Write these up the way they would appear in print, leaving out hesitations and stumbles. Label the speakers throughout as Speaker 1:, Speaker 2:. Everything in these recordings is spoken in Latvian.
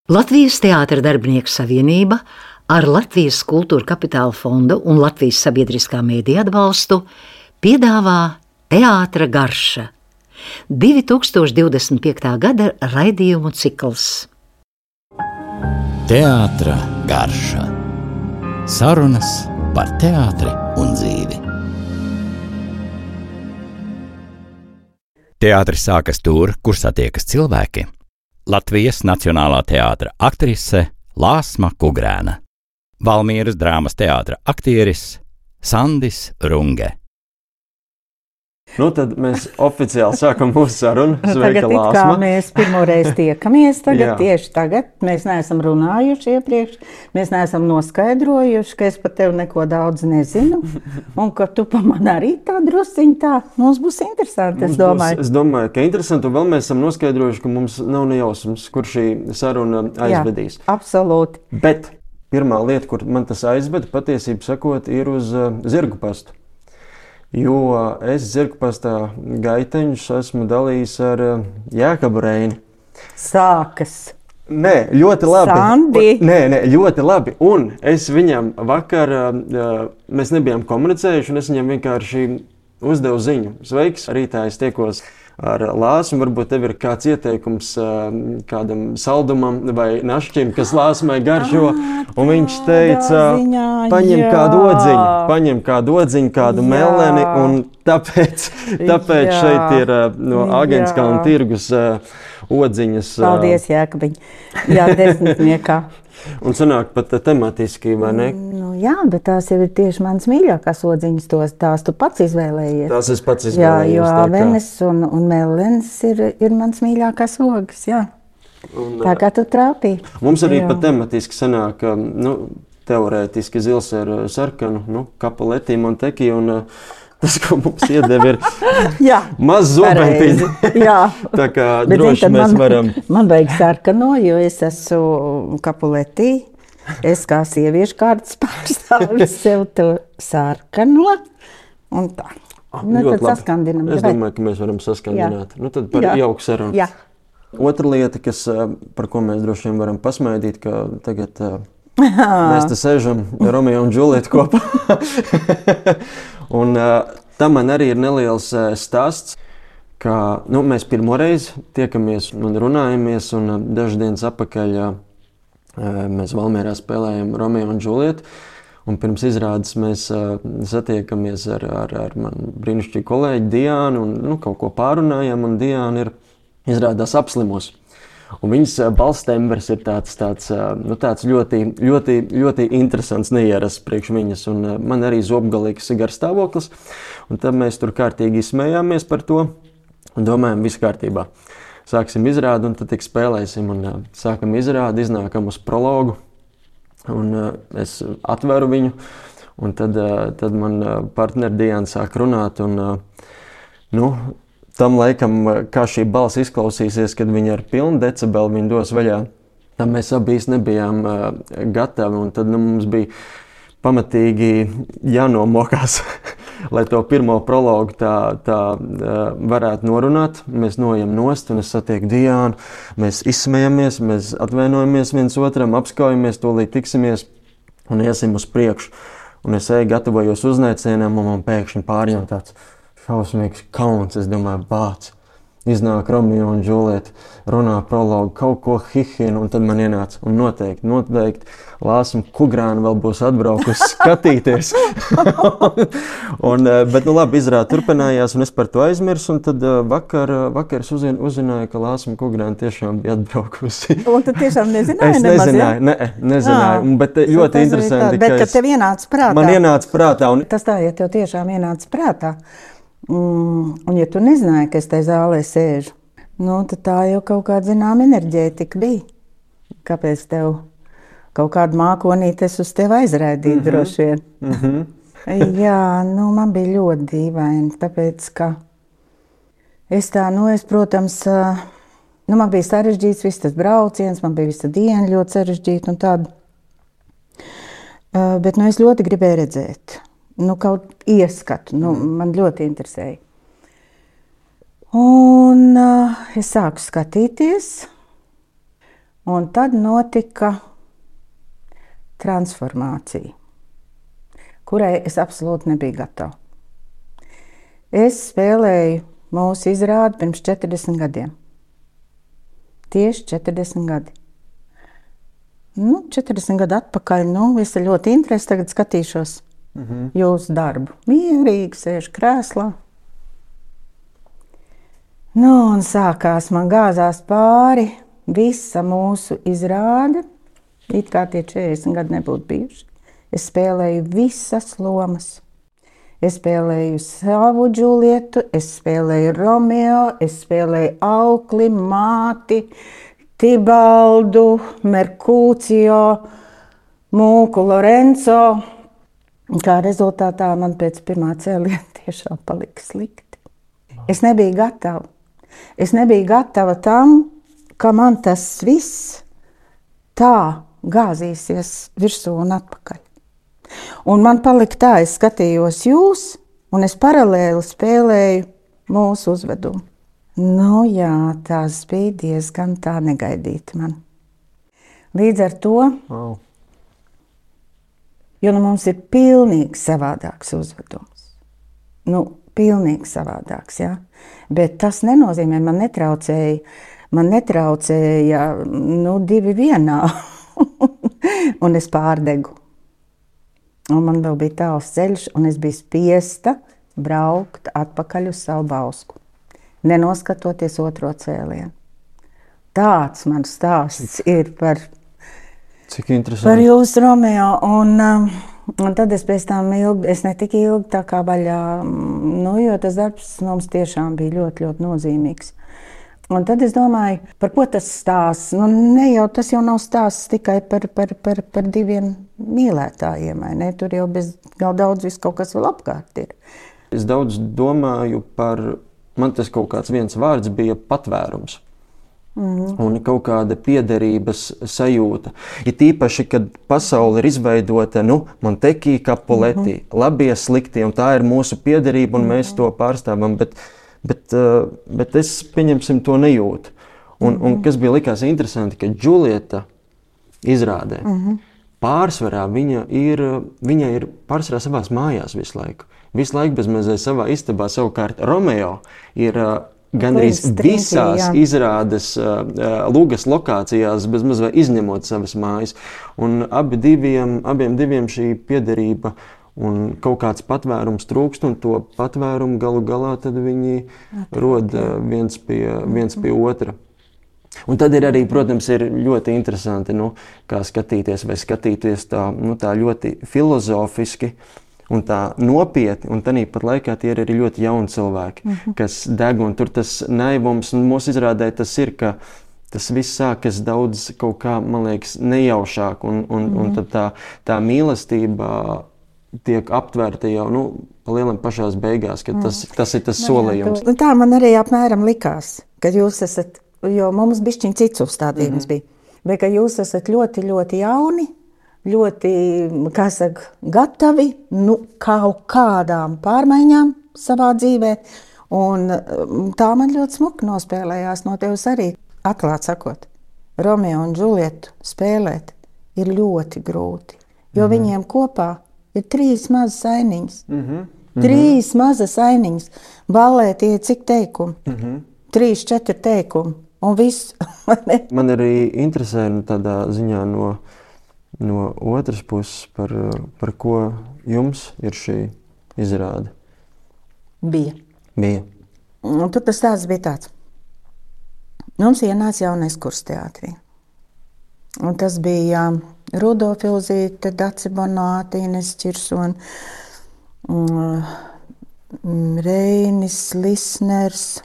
Speaker 1: Latvijas Teātra darbinieku savienība ar Latvijas Kultūra Kapitāla fondu un Latvijas sabiedriskā mēdīja atbalstu piedāvā Teātra garša 2025. gada raidījumu cikls.
Speaker 2: Teātra garša. Sarunas par teātri un dzīvi. Teātris sākas tur, kur satiekas cilvēki. Latvijas Nacionālā teātra aktrise Lāsma Kugrēna. Valmieras drāmas teātra aktieris Sandis Runge.
Speaker 3: Nu, tad mēs oficiāli sākam mūsu sarunu.
Speaker 4: Sveika, Lāsma. Tagad kā mēs pirmoreiz tiekamies, tieši tagad. Mēs neesam runājuši iepriekš, mēs neesam noskaidrojuši, ka es par tevi neko daudz nezinu, un ka tu pa man arī tā drusciņ tā. Mums būs interesanti, es domāju.
Speaker 3: Es domāju, ka interesanti, un vēl mēs esam noskaidrojuši, ka mums nav nejausmas, kur šī saruna aizvedīs.
Speaker 4: Jā, absolūti.
Speaker 3: Bet pirmā lieta, kur man tas aizveda, patiesību sakot, ir uz zirgu pastu. Jo es zirgpastā gaiteņus esmu dalījis ar Jēkabu Reini.
Speaker 4: Sākas.
Speaker 3: Nē, ļoti labi.
Speaker 4: Sandi.
Speaker 3: Nē, ļoti labi. Un es viņam vakar, mēs nebijām komunicējuši, un es viņam vienkārši uzdevu ziņu. Sveiks, rītā es tiekos ar Lāsmu. Varbūt tev ir kāds ieteikums kādam saldumam vai našķim, kas Lāsmai garšo. Un viņš teica, paņem kādu odziņu, kādu meleni, un tāpēc šeit ir no Agenskalna tirgus odziņas.
Speaker 4: Paldies, Jēkabiņ. Jā, 10.
Speaker 3: Un sanāk pat tematiski, vai ne?
Speaker 4: Nu, jā, bet tās jau ir tieši manas mīļākās odziņas, tās tu pats izvēlējies.
Speaker 3: Tās es pats izvēlējos.
Speaker 4: Jā, jo avenes un melens ir mans mīļākās ogas, jā. Tā kā tu trāpīji.
Speaker 3: Mums arī pat tematiski sanāk, teorētiski zils ar sarkanu, Capuletti, Monteki, un tas, ko mums iedeva, ir maz zobentiņi. Tā kā droši mēs varam.
Speaker 4: Man vajag sarkano, jo es esmu Capuletti. Es kā sieviešu kārtas pārstāvis sev to sarkano. Un tā. Tad saskandinam.
Speaker 3: Es domāju, ka mēs varam saskandināt. Tad par jauku sarunu.
Speaker 4: Jā.
Speaker 3: Otra lieta, par ko mēs droši vien varam pasmaidīt, ka tagad mēs te sēžam Romeo un Džulieta kopā. Un tam man arī ir neliels stāsts, ka mēs pirmoreiz tiekamies un runājamies, un dažas dienas atpakaļ mēs Valmierā spēlējam Romeo un Džulietu. Un pirms izrādes mēs satiekamies ar manu brīnišķīgu kolēģi Diānu un kaut ko pārunājam, un Diāna ir izrādās apslimus. Un viņas balstembers ir tāds ļoti, ļoti, ļoti interesants, neierasts priekš viņas. Un man arī zobgalīgs garstāvoklis. Un tad mēs tur kārtīgi smējāmies par to un domājam, viss kārtībā. Sāksim izrādi un tad tik spēlēsim. Un sākam izrādi, iznākam uz prologu. Un es atveru viņu. Un tad man partneri Diana sāk runāt. Un, tam laikam, kā šī balss izklausīsies, kad viņa ar pilnu decibelu viņu dos vaļā, tam mēs abi nebijām gatavi, un tad mums bija pamatīgi jānomokās, lai to pirmo prologu tā varētu norunāt. Mēs noejam nost, un es satieku Diānu, mēs izsmejamies, mēs atvainojamies viens otram, apskaujamies, tūlīt tiksimies un iesim uz priekšu. Un es gatavojos uznēcienam, un man pēkšņi pārņem tāds šausmīgs kauns, es domāju, bāc. Iznāk Romeo un Džulieta, runā prologu, kaut ko hihina, un tad man ienāca. Un noteikti Lāsma Kugrēna vēl būs atbraukusi skatīties. Bet labi, izrāde turpinājās, un es par to aizmirsu, un tad vakar es uzzināju, ka Lāsma Kugrēna tiešām bija atbraukusi.
Speaker 4: Un tu tiešām nezināji?
Speaker 3: Es nezināju, bet ļoti interesanti.
Speaker 4: Bet kad tev ienāca prātā?
Speaker 3: Man ienāca prātā.
Speaker 4: Tas tā, ja tev tiešām ienāca prātā. Un ja tu nezināji, ka es tajā zālē sēžu, tad tā jau kaut kāda zināma enerģētika bija. Kāpēc tev kaut kādu mākonīti es uz tevi aizraidīju droši vien? Jā, man bija ļoti dīvaini, tāpēc, ka es protams, man bija sarežģīts viss tas brauciens, man bija visa diena ļoti sarežģīta un tāda. Bet es ļoti gribēju redzēt. Kaut ieskatu, man ļoti interesēja. Un es sāku skatīties, Un tad notika transformācija, kurai es absolūti nebiju gatava. Es spēlēju mūsu izrādi pirms 40 gadiem. Tieši 40 gadi. 40 gadu atpakaļ, es ar ļoti interesi tagad skatīšos jūsu darbu. Mierīgi sēžu krēslā. Un sākās, man gāzās pāri visa mūsu izrāde. It kā tie 40 gadi nebūtu bijuši. Es spēlēju visas lomas. Es spēlēju savu Džulietu, es spēlēju Romeo, es spēlēju aukli, māti, Tibaldu, Merkūcio, Mūku Lorenzo. Kā rezultātā man pēc pirmā cēliena tiešām palika slikti. Es nebiju gatava. Es nebiju gatava tam, ka man tas viss tā gāzīsies virsū un atpakaļ. Un man palika tā, es skatījos jūs, un es paralēli spēlēju mūsu uzvedumu. Jā, tas bija diezgan tā negaidīti man. Līdz ar to, jo mums ir pilnīgi savādāks uzvedums. Pilnīgi savādāks, jā. Bet tas nenozīmē, man netraucēja 2 vienā, un es pārdegu. Un man vēl bija tāls ceļš, un es biju spiesta braukt atpakaļ uz savu Bausku, nenoskatoties otro cēlienu. Tāds mans stāsts ir par jūsu Romeo. Un tad es pēc tam es ne tik ilgi tā kā vaļā, jo tas darbs mums tiešām bija ļoti, ļoti nozīmīgs. Un tad es domāju, par ko tas stāsts? Tas jau nav stāsts tikai par 2 mīlētājiem, vai ne? Tur jau bez daudz viss kaut kas vēl apkārt ir.
Speaker 3: Es daudz domāju par, man tas kaut kāds viens vārds bija patvērums. Un kaut kāda piederības sajūta. Ir tīpaši, kad pasaule ir izveidota, Montekī, Capuletti, labie, sliktie, un tā ir mūsu piederība, un mēs to pārstāvam, bet es, pieņemsim, to nejūtu. Un kas bija likās interesanti, ka Džulieta izrādē, pārsvarā viņa ir pārsvarā savās mājās visu laiku. Visu laiku bezmazliet savā istabā, savukārt Romeo ir gandrīz visās izrādes lugas lokācijās, bezmazliet izņemot savas mājas. Un abiem diviem šī piederība un kaut kāds patvērums trūkst, un to patvērumu galu galā tad viņi rod viens pie otra. Un tad ir arī, protams, ir ļoti interesanti, kā skatīties vai skatīties tā ļoti filozofiski un tā nopietni, un tāpat laikā tie ir arī ļoti jauni cilvēki, kas deg, un tur tas naivums, un mūsu izrādē tas ir, ka tas viss sākas daudz kaut kā, man liekas, nejaušāk, un tad tā mīlestība tiek aptvērta jau, pa lielam pašās beigās, ka tas ir tas solījums.
Speaker 4: Tā man arī apmēram likās, kad jūs esat, jo mums bišķiņ cits uzstādījums bija, bet ka jūs esat ļoti, ļoti jauni, ļoti, gatavi kaut kādām pārmaiņām savā dzīvē, un tā man ļoti smuki nospēlējās no tevis arī. Atklāt sakot, Romeo un Džulietu spēlēt ir ļoti grūti, jo viņiem kopā ir 3 mazas ainiņas. 3 mazas ainiņas. Ballē tie cik teikumi? 3, 4 teikumi, un viss.
Speaker 3: Man arī interesē tādā ziņā no otras puses, par ko jums ir šī izrāde?
Speaker 4: Bija.
Speaker 3: Un
Speaker 4: tur tas stāsts bija tāds. Mums ienāca jaunais kurs teātrī. Un tas bija Rudolfa Ilzīte, Dace Bonāte, Ines Čirsona, Reinis Lisners,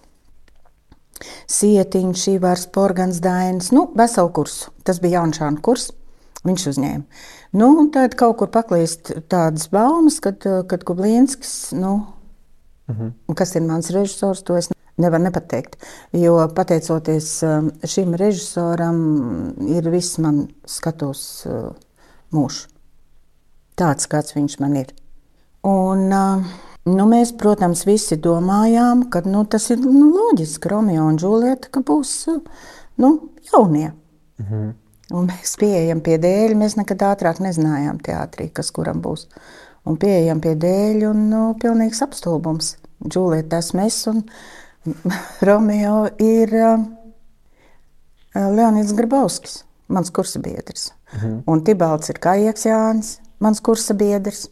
Speaker 4: Sietiņš, Ivars Porgans, Dainis, veselu kursu. Tas bija Jaunšāna kurs. Viņš uzņēma. Un tad kaut kur paklīst tādas baumas, kad Kublīnskis, kas ir mans režisors, to es nevaru nepateikt. Jo pateicoties šim režisoram, ir viss man skatos mūžs. Tāds, kāds viņš man ir. Un mēs, protams, visi domājām, ka tas ir loģiski, Romeo un Džulieta, ka būs jaunie. Un mēs pieejam pie dēļa, mēs nekad ātrāk nezinājām teātrī, kas kuram būs. Un pieejam pie dēļa un pilnīgs apstulbums. Džulieta esmu es un Romeo ir Leonids Grabovskis, mans kursabiedrs. Un Tibalds ir Kaieks Jānis, mans kursabiedrs.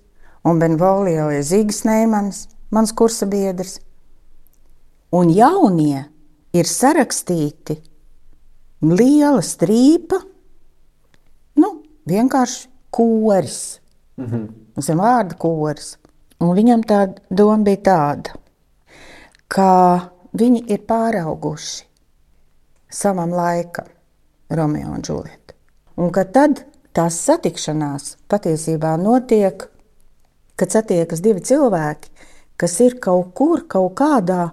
Speaker 4: Un Benvolio ir Zīgas Neimanis, mans kursabiedrs. Un jaunie ir sarakstīti liela strīpa, vienkārši koris. Mums ir vārda koris. Un viņam tā doma bija tāda, ka viņi ir pārauguši savam laikam, Romeo un Džulieta. Un ka tad tās satikšanās patiesībā notiek, kad satiekas divi cilvēki, kas ir kaut kur, kaut kādā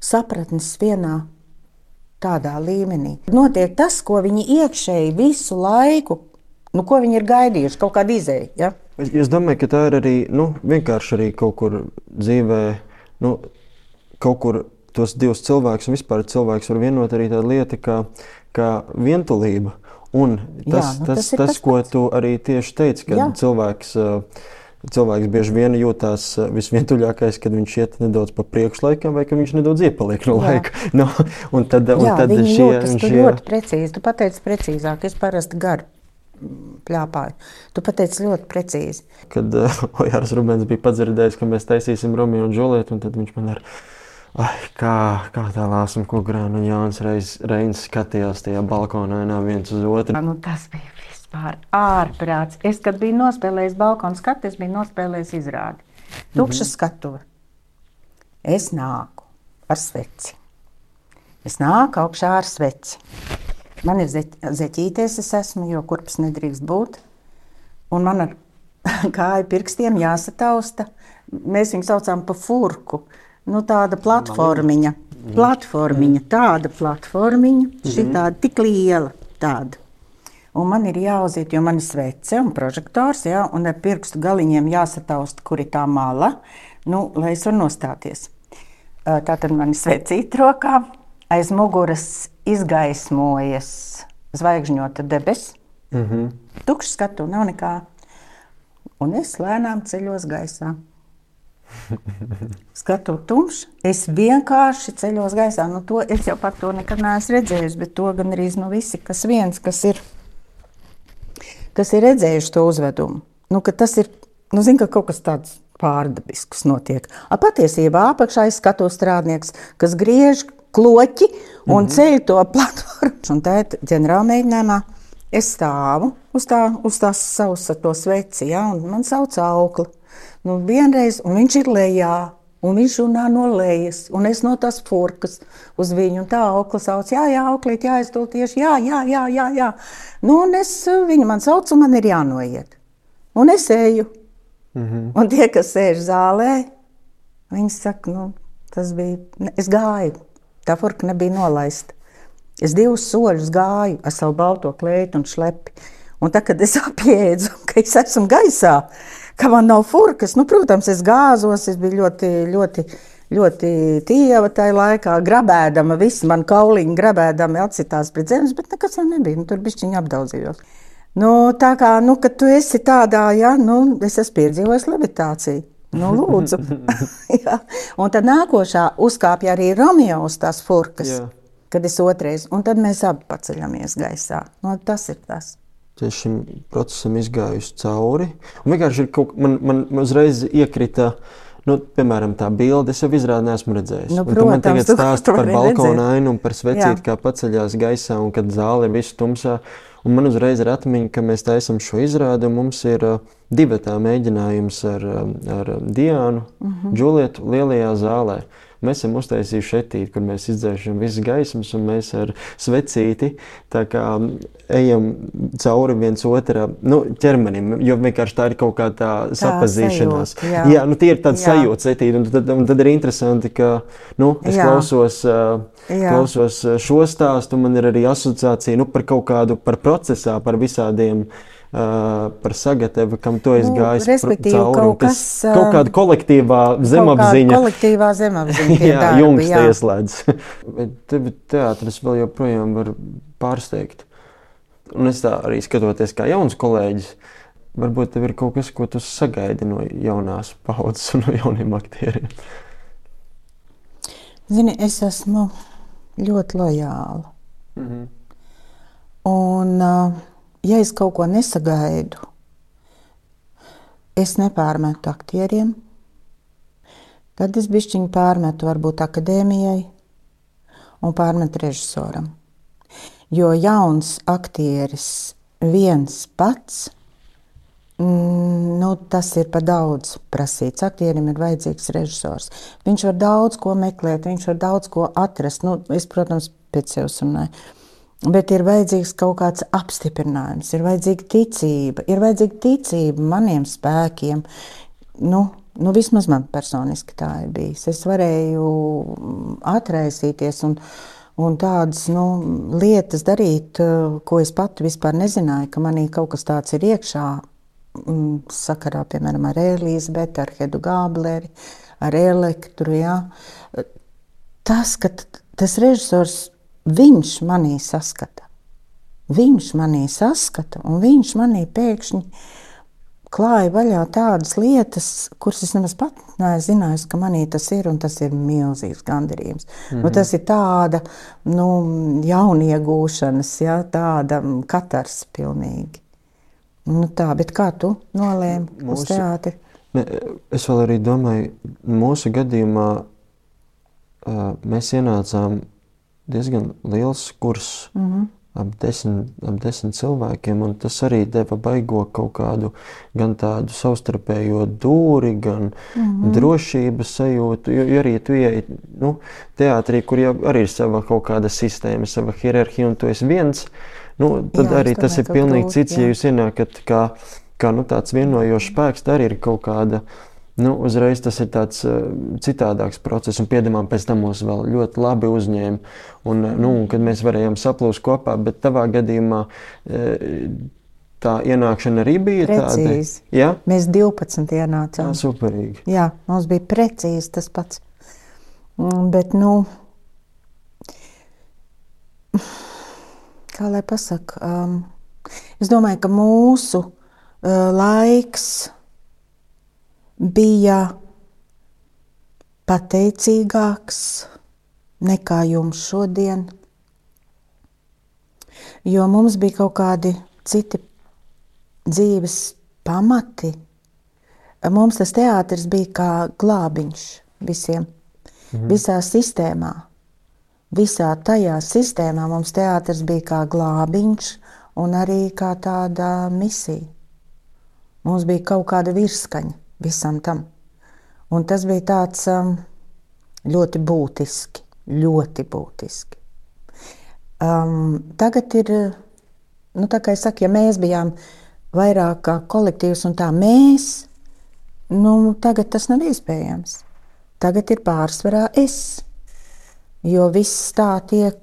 Speaker 4: sapratnes vienā tādā līmenī. Notiek tas, ko viņi iekšēji visu laiku, ko viņi ir gaidījuši, kaut kāda izēja. Ja?
Speaker 3: Es domāju, ka tā ir arī vienkārši arī kaut kur dzīvē, kaut kur tos divus cilvēkus un vispār cilvēks var vienot arī tāda lieta kā vientulība. Un tas, ko tu arī tieši teici, ka cilvēks bieži vien jūtās visvientuļākais, kad viņš iet nedaudz pa priekšlaikam vai ka viņš nedaudz iepaliek no laika.
Speaker 4: Viņi jūtas ļoti precīzi. Tu pateici precīzāk, es parasti garu pļāpāju. Tu pateici ļoti precīzi.
Speaker 3: Kad Ojārs Rubens bija padzirdējis, ka mēs taisīsim Romeo un Džulietu, un tad viņš man kā tā Lāsma Kugrāna un Jānis Reins skatījās tajā balkonā viens uz otru.
Speaker 4: Tas bija vispār ārprāts. Es, kad biju nospēlējis balkonu skatu, es biju nospēlējis izrādi. Tukša skatuve. Es nāku ar sveci. Es nāku augšā ar sveci. Man ir zeķīties, es esmu, jo kurpes nedrīkst būt. Un man ar kāju pirkstiem jāsatausta. Mēs viņu saucām pa furku. Tāda platformiņa. Tāda platformiņa. Šitāda tik liela tāda. Un man ir jāuziet, jo man ir svece un prožektors, un ar pirkstu galiņiem jāsatausta, kur ir tā mala, lai es varu nostāties. Tātad man ir svecīta rokā. Aiz muguras izgaismojas zvaigžņota debes. Tukšs skatu, nav nekā. Un es lēnām ceļos gaisā. Skatu tumšs, es vienkārši ceļos gaisā. Es jau par to nekad neesmu redzējis, bet to gan arī visi, kas ir redzējuši to uzvedumu. Ka tas ir, ka kaut kas tāds pārdabisks notiek. Patiesībā apakšā ir skatu strādnieks, kas griež kloķi un ceļ to platformu. Un tēt ģenerālmēģinājumā es stāvu uz tās savus to sveci, un man sauc Aukli. Vienreiz, un viņš ir lejā, un viņš runā no lejas, un es no tās furkas uz viņu, un tā Aukla sauc, Auklīt, jāizdod tieši, jā. Un viņa man sauc, un man ir jānoiet. Un es eju. Un tie, kas sēž zālē, viņi saka, tas bija, es gāju. Tā furka nebija nolaista. Es 2 soļus gāju ar savu balto kleitu un šlepi. Un tā, kad es apjēdzu, ka es esmu gaisā, ka man nav furkas, protams, es gāzos, es biju ļoti, ļoti, ļoti tieva tajā laikā, grabēdama, visi man kauliņi grabēdami atsitās pret zemes, bet nekas jau nebija, tur bišķiņi apdaudzījos. Tā kā, kad tu esi tādā, es esmu piedzīvojis levitāciju. Lūdzu. Un tad nākošā uzkāpja arī Romeo uz tās furkas, kad es otrais, un tad mēs abi paceļamies gaisā. Tas ir tas.
Speaker 3: Šim procesam izgājusi cauri. Un vienkārši man uzreiz iekrita, piemēram, tā bilde, es jau izrādi neesmu redzējis.
Speaker 4: Protams,
Speaker 3: tu man tagad stāsti par balkona ainu un par svecīti, kā paceļās gaisā, un kad zāle ir visu tumsā. Un man uzreiz ir atmiņa, ka mēs taisam šo izrādi, un mums ir divatā mēģinājums ar Diānu, Džulietu lielajā zālē. Mēs esam uztaisījuši šetīti, kur mēs izdzēšam visas gaismas, un mēs ar svecīti tā kā ejam cauri viens otrā ķermenim, jo vienkārši tā ir kaut kā tā sapazīšanās. Tie ir tādi sajūta svetīti, un tad ir interesanti, ka es klausos šo stāstu, man ir arī asociācija par kaut kādu par procesā, par visādiem, par sagatavu, kam tu esi gājis
Speaker 4: cauri,
Speaker 3: kaut kāda kolektīvā zemapziņa.
Speaker 4: Kolektīvā zemapziņa tie
Speaker 3: jā,
Speaker 4: darbi,
Speaker 3: Jungs ieslēdz. Bet tevi teātris vēl joprojām var pārsteigt. Un es tā arī skatoties kā jauns kolēģis, varbūt tev ir kaut kas, ko tu sagaidi no jaunās paudzes un no jauniem aktieriem.
Speaker 4: Zini, es esmu ļoti lojāla. Un, ja es kaut ko nesagaidu, es nepārmetu aktieriem, tad es bišķiņu pārmetu varbūt akadēmijai un pārmetu režisoram. Jo jauns aktieris viens pats, tas ir pa daudz prasīts. Aktierim ir vajadzīgs režisors. Viņš var daudz ko meklēt, viņš var daudz ko atrast. Es, protams, pēc sevis runāju. Bet ir vajadzīgs kaut kāds apstiprinājums, ir vajadzīga ticība maniem spēkiem. Vismaz man personiski tā ir bijis. Es varēju atraisīties un tādas lietas darīt, ko es pati vispār nezināju, ka manī kaut kas tāds ir iekšā, sakarā, piemēram, ar Elīzabeti, ar Hedu Gābleri, ar Elektru. Ja. Tas, ka tas režisors, viņš manī saskata. Viņš manī saskata, un viņš manī pēkšņi klāja vaļā tādas lietas, kuras es nemaz pat neesmu zinājusi, ka manī tas ir, un tas ir milzīgs gandarījums. Tas ir tāda, jauniegūšanas, ja, tāda katars pilnīgi. Bet kā tu nolēmi uz teātri?
Speaker 3: Es vēl arī domāju, mūsu gadījumā mēs ienācām diezgan liels kurs, ap 10 cilvēkiem, un tas arī deva baigo kaut kādu gan tādu savstarpējo dūri, gan drošības sajūtu, jo arī tu ieej teātrī, kur jau arī ir sava kaut kāda sistēma, sava hierarhija, un tu esi viens, tad jā, arī tas ir pilnīgi cits, ja jūs ienākat kā tāds vienojošs spēks, tā arī ir kaut kāda. Uzreiz tas ir tāds citādāks process, un piedamām pēc tam mūs vēl ļoti labi uzņēma, un kad mēs varējām saplūst kopā, bet tavā gadījumā tā ienākšana arī bija
Speaker 4: precīzi.
Speaker 3: Tāda? Ja?
Speaker 4: Mēs 12 ienācām.
Speaker 3: Superīgi.
Speaker 4: Jā, mums bija precīzi tas pats. Bet, kā lai pasaka, es domāju, ka mūsu laiks bija pateicīgāks nekā jums šodien, jo mums bija kaut kādi citi dzīves pamati. Mums tas teātris bija kā glābiņš visiem, visā sistēmā. Visā tajā sistēmā mums teātris bija kā glābiņš un arī kā tāda misija. Mums bija kaut kāda virskaņa visam tam. Un tas bija tāds ļoti būtiski. Tagad ir, tā kā es saku, ja mēs bijām vairāk kā kolektīvs un tā mēs, tagad tas nav iespējams. Tagad ir pārsvarā es, jo viss tā tiek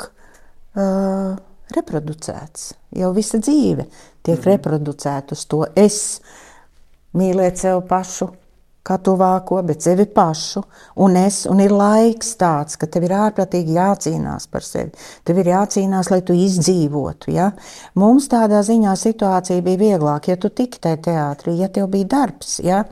Speaker 4: reproducēts. Jau visa dzīve tiek reproducēta uz to es. Mīlēt sev pašu, kā tuvāko, bet sevi pašu, un ir laiks tāds, ka tev ir ārprātīgi jācīnās par sevi. Tev ir jācīnās, lai tu izdzīvotu, ja? Mums tādā ziņā situācija bija vieglāk, ja tu tiki tajā teātrī, ja tev bija darbs, ja?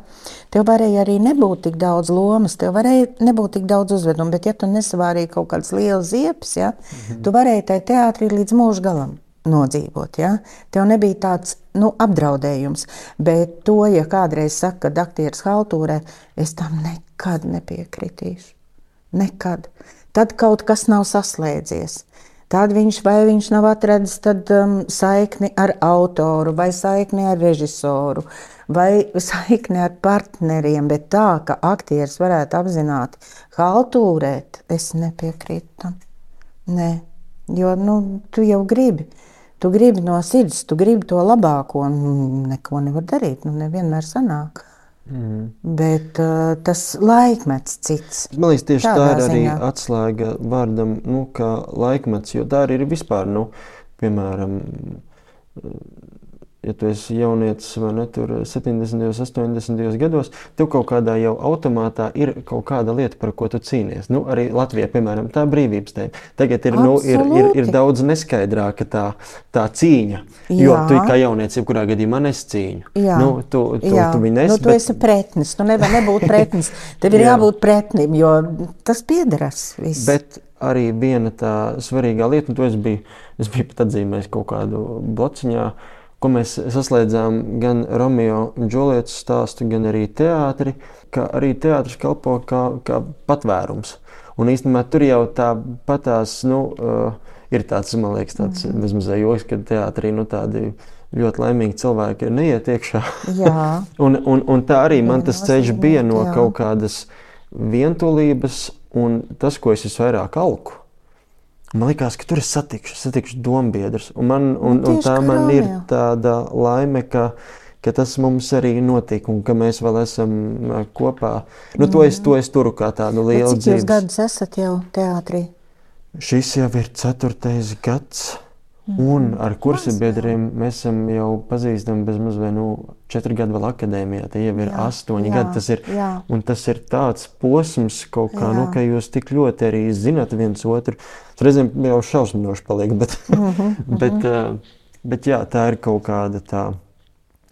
Speaker 4: Tev varēja arī nebūt tik daudz lomas, tev varēja nebūt tik daudz uzvedumu, bet ja tu nesavārīji kaut kādas lielas ziepes, ja? Tu varēji tajā teātrī līdz mūža galam nodzīvot, ja? Tev nebija tāds apdraudējums, bet to, ja kādreiz saka, ka aktieris haltūrē, es tam nekad nepiekritīšu. Nekad. Tad kaut kas nav saslēdzies. Tad viņš nav atradis saikni ar autoru, vai saikni ar režisoru, vai saikni ar partneriem, bet tā, ka aktieris varētu apzināti haltūrēt, es nepiekrītu tam. Nē, jo tu jau gribi. Tu gribi no sirds, tu gribi to labāko, un neko nevar darīt, nevienmēr sanāk. Bet tas laikmets cits.
Speaker 3: Man liekas, tieši tā ir arī atslēga vārdam, kā laikmets, jo tā arī ir vispār, piemēram, ja tu esi jaunietis vai ne, tur 70. 80. gados, tev kaut kādā jau automātā ir kaut kāda lieta, par ko tu cīnies. Nu, arī Latvijā, piemēram, tā brīvības tēma. Tagad ir daudz neskaidrāka tā cīņa, jo tu kā jaunietis jebkurā gadījumā nescīņu. Nu, tu viņu nesi.
Speaker 4: Tu esi pretnis, tu nevar nebūt pretnis. Tev ir jābūt pretnim, jo tas piederas viss. Bet
Speaker 3: arī viena tā svarīgā lieta, un to es biju pat atzīmējis kaut kādu blociņā, ko mēs saslēdzām gan Romeo un Džulietas stāstu, gan arī teātri, ka arī teātris kalpo kā patvērums. Un īstenībā tur jau tāpatās, ir tāds, man liekas, tāds bezmazliet joks, ka teātrī, tādi ļoti laimīgi cilvēki neiet iekšā. un tā arī man tas ceļš bija no kaut kādas vientulības, un tas, ko es visvairāk alku, man likās, ka tur es satikšu dombiedrus. Un tā man ir tāda laime, ka tas mums arī notika, un ka mēs vēl esam kopā. To es turu kā tādu lielu dzīves.
Speaker 4: Cik jūs gadus esat jau teātrī?
Speaker 3: Šis jau ir 4. gads. Un ar kursabiedriem mēs esam jau pazīstami bez mazliet 4 gadu vēl akadēmijā. Tie jau ir 8 gadi. Tas ir tāds posms kaut kā, ka jūs tik ļoti arī zināt viens otru. Reizēm jau šausminoši paliek, bet tā ir kaut kāda tā.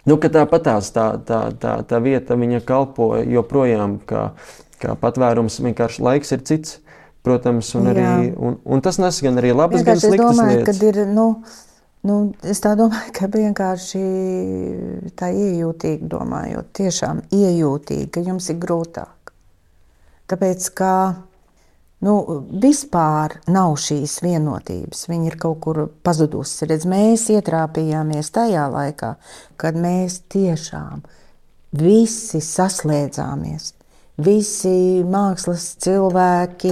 Speaker 3: Ka tāpatās tā vieta, viņa kalpo joprojām kā patvērums, vienkārši laiks ir cits. Protams, un tas nes gan arī labas, gan sliktas lietas.
Speaker 4: Es tā domāju, ka vienkārši tā iejūtīgi domājot, tiešām iejūtīgi, ka jums ir grūtāk. Tāpēc, ka vispār nav šīs vienotības, viņa ir kaut kur pazudusi. Mēs ietrāpījāmies tajā laikā, kad mēs tiešām visi saslēdzāmies. Visi mākslas cilvēki,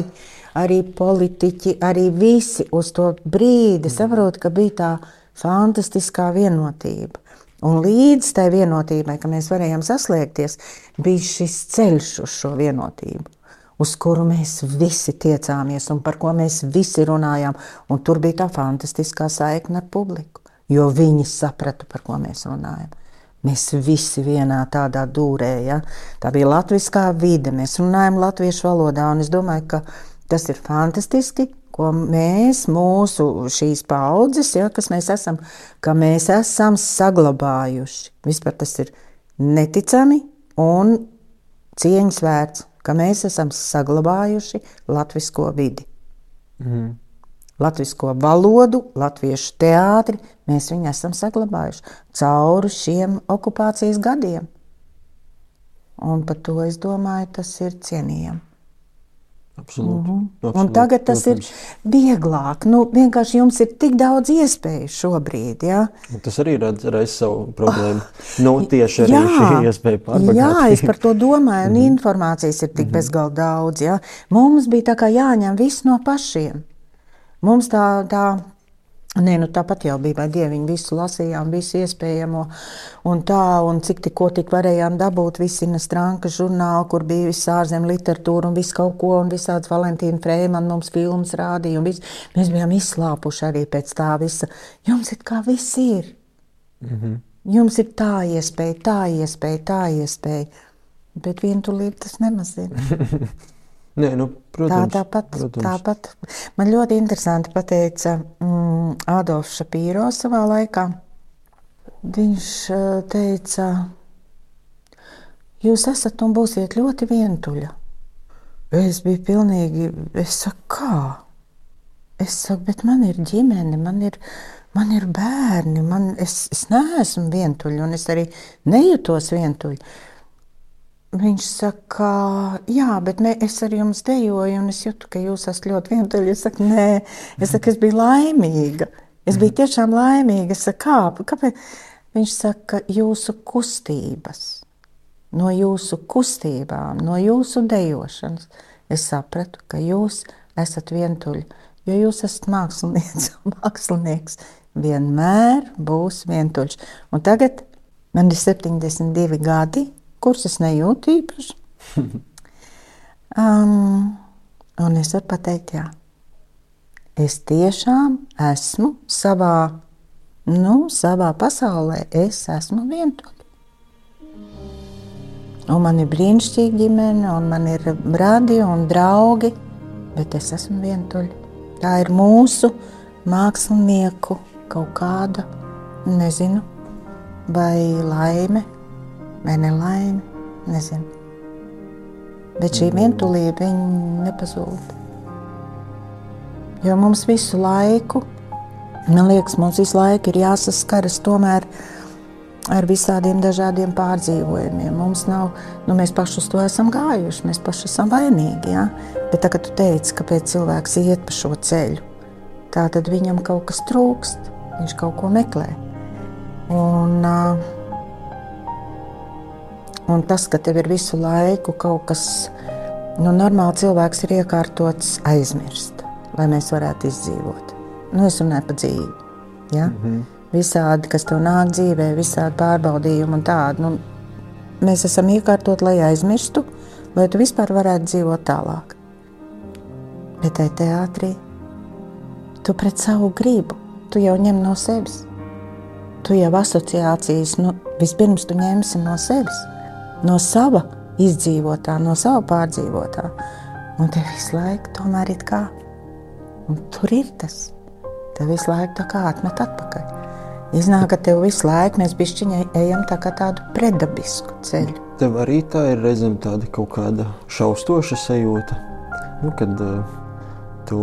Speaker 4: arī politiķi, arī visi uz to brīdi saprot, ka bija tā fantastiskā vienotība. Un līdz tai vienotībai, ka mēs varējām saslēgties, bija šis ceļš uz šo vienotību, uz kuru mēs visi tiecāmies un par ko mēs visi runājām. Un tur bija tā fantastiskā saikne ar publiku, jo viņi saprata, par ko mēs runājam. Mēs visi vienā tādā dūrē, tā bija latviskā vide, mēs runājam latviešu valodā, un es domāju, ka tas ir fantastiski, ko mēs, mūsu šīs paudzes, kas mēs esam, ka mēs esam saglabājuši. Vispār tas ir neticami un cieņas vērts, ka mēs esam saglabājuši latvisko vidi. Latvisko valodu, latviešu teātri, mēs viņu esam saglabājuši cauri šiem okupācijas gadiem. Un par to, es domāju, tas ir cienījami.
Speaker 3: Absolūti.
Speaker 4: Un tagad tas ir vieglāk. Vienkārši jums ir tik daudz iespēju šobrīd.
Speaker 3: Tas arī reiz savu problēmu. Tieši arī šī iespēja pārbagātīt.
Speaker 4: Jā, es par to domāju, un informācijas ir tik bezgalīgi daudz. Mums bija tā kā jāņem viss no pašiem. Mums tāpat jau bija, vai dieviņi visu lasījām, visu iespējamo, un cik tikko varējām dabūt visi Stranka žurnālu, kur bija viss ārzem literatūra un viss kaut ko, un visāds Valentīna Frēmana mums filmas rādīja, un mēs bijām izslāpuši arī pēc tā visa. Jums ir kā viss ir. Jums ir tā iespēja, bet vientulība tas nemazina.
Speaker 3: Nē, protams.
Speaker 4: Tāpat. Man ļoti interesanti pateica Adolfs Šapīro savā laikā. Viņš teica, jūs esat un būsiet ļoti vientuļa. Es biju pilnīgi, es saku, kā? Es saku, bet man ir ģimene, man ir bērni, es neesmu vientuļa, un es arī nejūtos vientuļa. Viņš saka, jā, bet es ar jums dejoju, un es jūtu, ka jūs esat ļoti vientuļi. Es saku, nē, es biju laimīga. Es biju tiešām laimīga. Es saku, kāpēc? Viņš saka, jūsu kustības, no jūsu kustībām, no jūsu dejošanas. Es sapratu, ka jūs esat vientuļi, jo jūs esat mākslinieks. Vienmēr būs vientuļš. Un tagad man ir 72 gadi. Kurus es nejūtu īpaši. Un es varu pateikt, jā. Es tiešām esmu savā savā pasaulē es esmu vientuļa. Un man ir brīnišķīga ģimene, un man ir brāļi un draugi, bet es esmu vientuļa. Tā ir mūsu mākslinieku kaut kāda, nezinu, vai laime, vai nelaime, nezinu. Bet šī vientulība, viņa nepazūd. Jo mums visu laiku, man liekas, mums visu laiku ir jāsaskaras tomēr ar visādiem dažādiem pārdzīvojumiem. Mums nav, mēs paši uz to esam gājuši, mēs paši esam vainīgi, ja? Bet tā, kad tu teici, kāpēc cilvēks iet pa šo ceļu, tā tad viņam kaut kas trūkst, viņš kaut ko meklē. Un tas, ka tev ir visu laiku kaut kas, normāli cilvēks ir iekārtots aizmirst, lai mēs varētu izdzīvot. Es runāju par dzīvi, ja? Visādi, kas tev nāk dzīvē, visādi pārbaudījumi un tādi. Mēs esam iekārtot, lai aizmirstu, lai tu vispār varētu dzīvot tālāk. Bet tai teātrī tu pret savu gribu, tu jau ņem no sevis. Tu jau asociācijas, vispirms tu ņemsi no sevis, no sava izdzīvotā, no sava pārdzīvotā. Un tev visu laiku tomēr it kā. Un tur ir tas. Tev visu laiku tā kā atmet atpakaļ. Iznāk, ka tev visu laiku mēs bišķiņai ejam tā kā tādu predabisku ceļu.
Speaker 3: Tev arī tā ir reizēm tāda kaut kāda šaustoša sajūta, kad tu,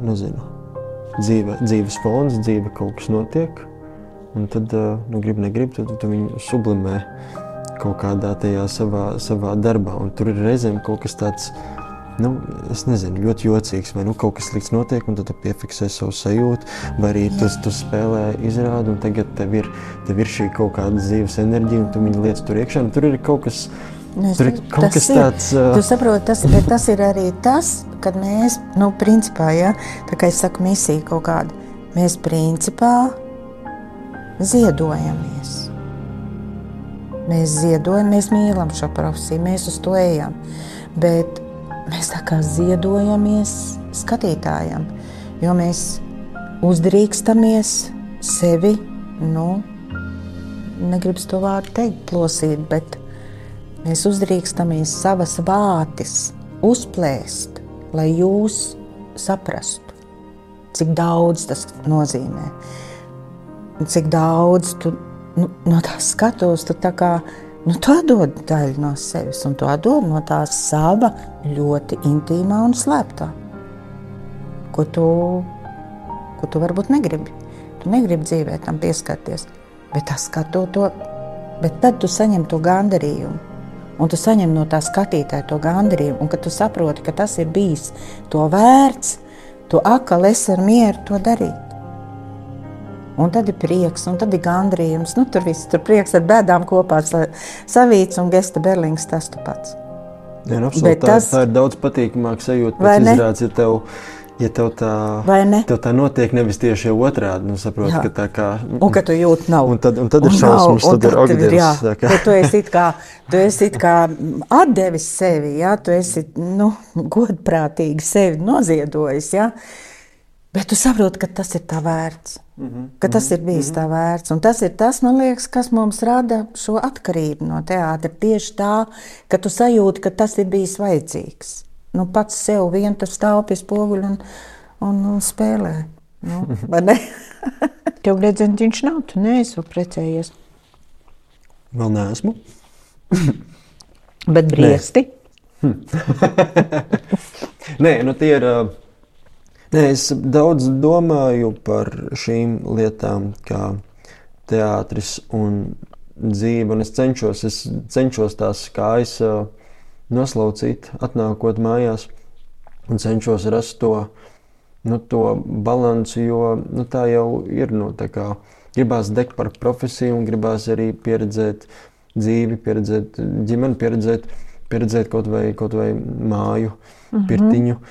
Speaker 3: nezinu, dzīves fons, dzīve kaut kas notiek, un tad, grib, tu viņu sublimē kaut kādā tajā savā darbā, un tur ir reizēm kaut kas tāds, es nezinu, ļoti jocīgs, vai kaut kas slikts notiek, un tad tu piefiksē savu sajūtu, vai arī tu spēlē izrādi, un tagad tev ir šī kaut kāda dzīves enerģija, un tu viņu liec tur iekšā, un tur ir kaut kas, tāds...
Speaker 4: Tu saproti, tas ir arī tas, kad mēs, principā, ja, tā kā es saku misija kaut kāda, mēs principā ziedojamies. Mēs ziedojam, mēs mīlam šo profesiju, mēs uz to ejam, bet mēs tā kā ziedojamies skatītājam, jo mēs uzdrīkstamies sevi, negribas to vārdu teikt, plosīt, bet mēs uzdrīkstamies savas vātis uzplēst, lai jūs saprastu, cik daudz tas nozīmē, cik daudz tu no tās skatos, tu tā kā tu atdod daļu no sevis, un tu atdod no tā sava ļoti intīmā un slēptā, ko tu varbūt negribi. Tu negribi dzīvē tam pieskarties, bet bet tad tu saņem to gandarījumu, un tu saņem no tā skatītāja to gandarījumu, un kad tu saproti, ka tas ir bijis to vērts, tu atkal esi ar mieru to darīt. Un tad ir prieks, un tad ir gandrījums. Tur viss, tur prieks ar bēdām kopā savīts un Gesta Berlings tas tu pats.
Speaker 3: Jā, absolūti, tā ir daudz patīkamāk sajūta pēc izrādes, ja tev tā notiek nevis tieši jau otrādi, saproti, ka tā kā...
Speaker 4: Un ka tu jūti nav.
Speaker 3: Un tad ir šausmas, tad ir ogdievs.
Speaker 4: Tu esi it kā atdevis sevi, ja? Tu esi, godprātīgi sevi noziedojis, ja? Bet tu saproti, ka tas ir tā vērts, ka tas ir bijis tā vērts. Un tas ir tas, man liekas, kas mums rada šo atkarību no teātra. Tieši tā, ka tu sajūti, ka tas ir bijis vajadzīgs. Pats sev vien tur stāv pie spoguļa un spēlē. Vai ne? Tev gredzentiņš nav, tu neesi precējies.
Speaker 3: Vēl neesmu.
Speaker 4: Bet briesti?
Speaker 3: Nē, tie ir... Es daudz domāju par šīm lietām, kā teātris un dzīve, un es cenšos tās kājas noslaucīt, atnākot mājās, un cenšos rast to balansu, jo tā jau ir, tā kā gribās degt par profesiju un gribās arī pieredzēt dzīvi, pieredzēt ģimeni, pieredzēt kaut vai māju, pirtiņu,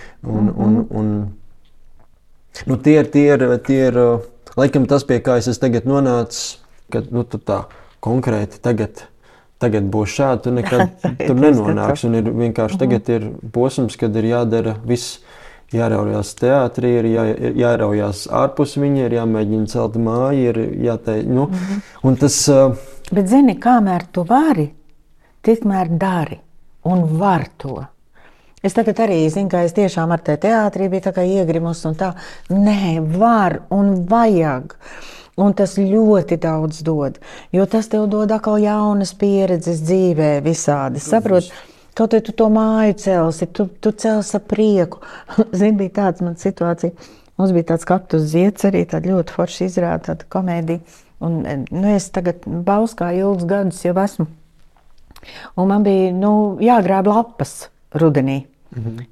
Speaker 3: tie ir, laikam tas, pie kā es tagad nonācu, ka tu tā konkrēti tagad būs šādi, tu nekad tur nenonāks. Un ir vienkārši tagad ir posms, kad ir jādara viss jāraujās teātrī, ir jāraujās ārpus viņa, ir jāmēģina celt māju, ir jāteikt, un tas...
Speaker 4: Bet zini, kamēr tu vari, tikmēr dari un var to. Es tagad arī zinu, ka es tiešām ar te teātrī biju tā kā iegrimus un tā. Nē, var un vajag. Un tas ļoti daudz dod, jo tas tev dod atkal jaunas pieredzes dzīvē visādi, saprot? Kaut vai tu to māju celsi, tu celsi ar prieku. Zini, bija tāds man situācija. Mums bija tāds Kaktus zieds arī, tāda ļoti forša izrāda, tāda komēdija. Un, es tagad Bauskā ilgus gadus jau esmu. Un man bija, jāgrāb lapas rudenī.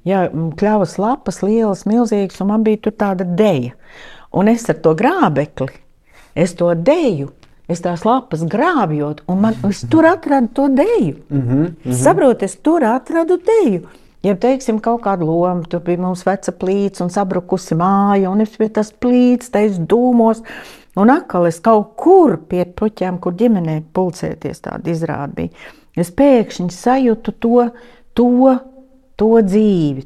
Speaker 4: Jā, kļavas lapas, lielas, milzīgas, un man bija tur tāda deja. Un es ar to grābekli, es to deju, es tās lapas grābjot, un es tur atradu to deju. Saprot, es tur atradu deju. Ja, teiksim, kaut kādu lomu, tur bija mums veca plīts un sabrukusi māja, un es pie tas plīts, tais dūmos, un atkal es kaut kur pie puķiem, kur ģimenē pulcēties tāda izrāda bija. Es pēkšņi sajūtu to dzīvi,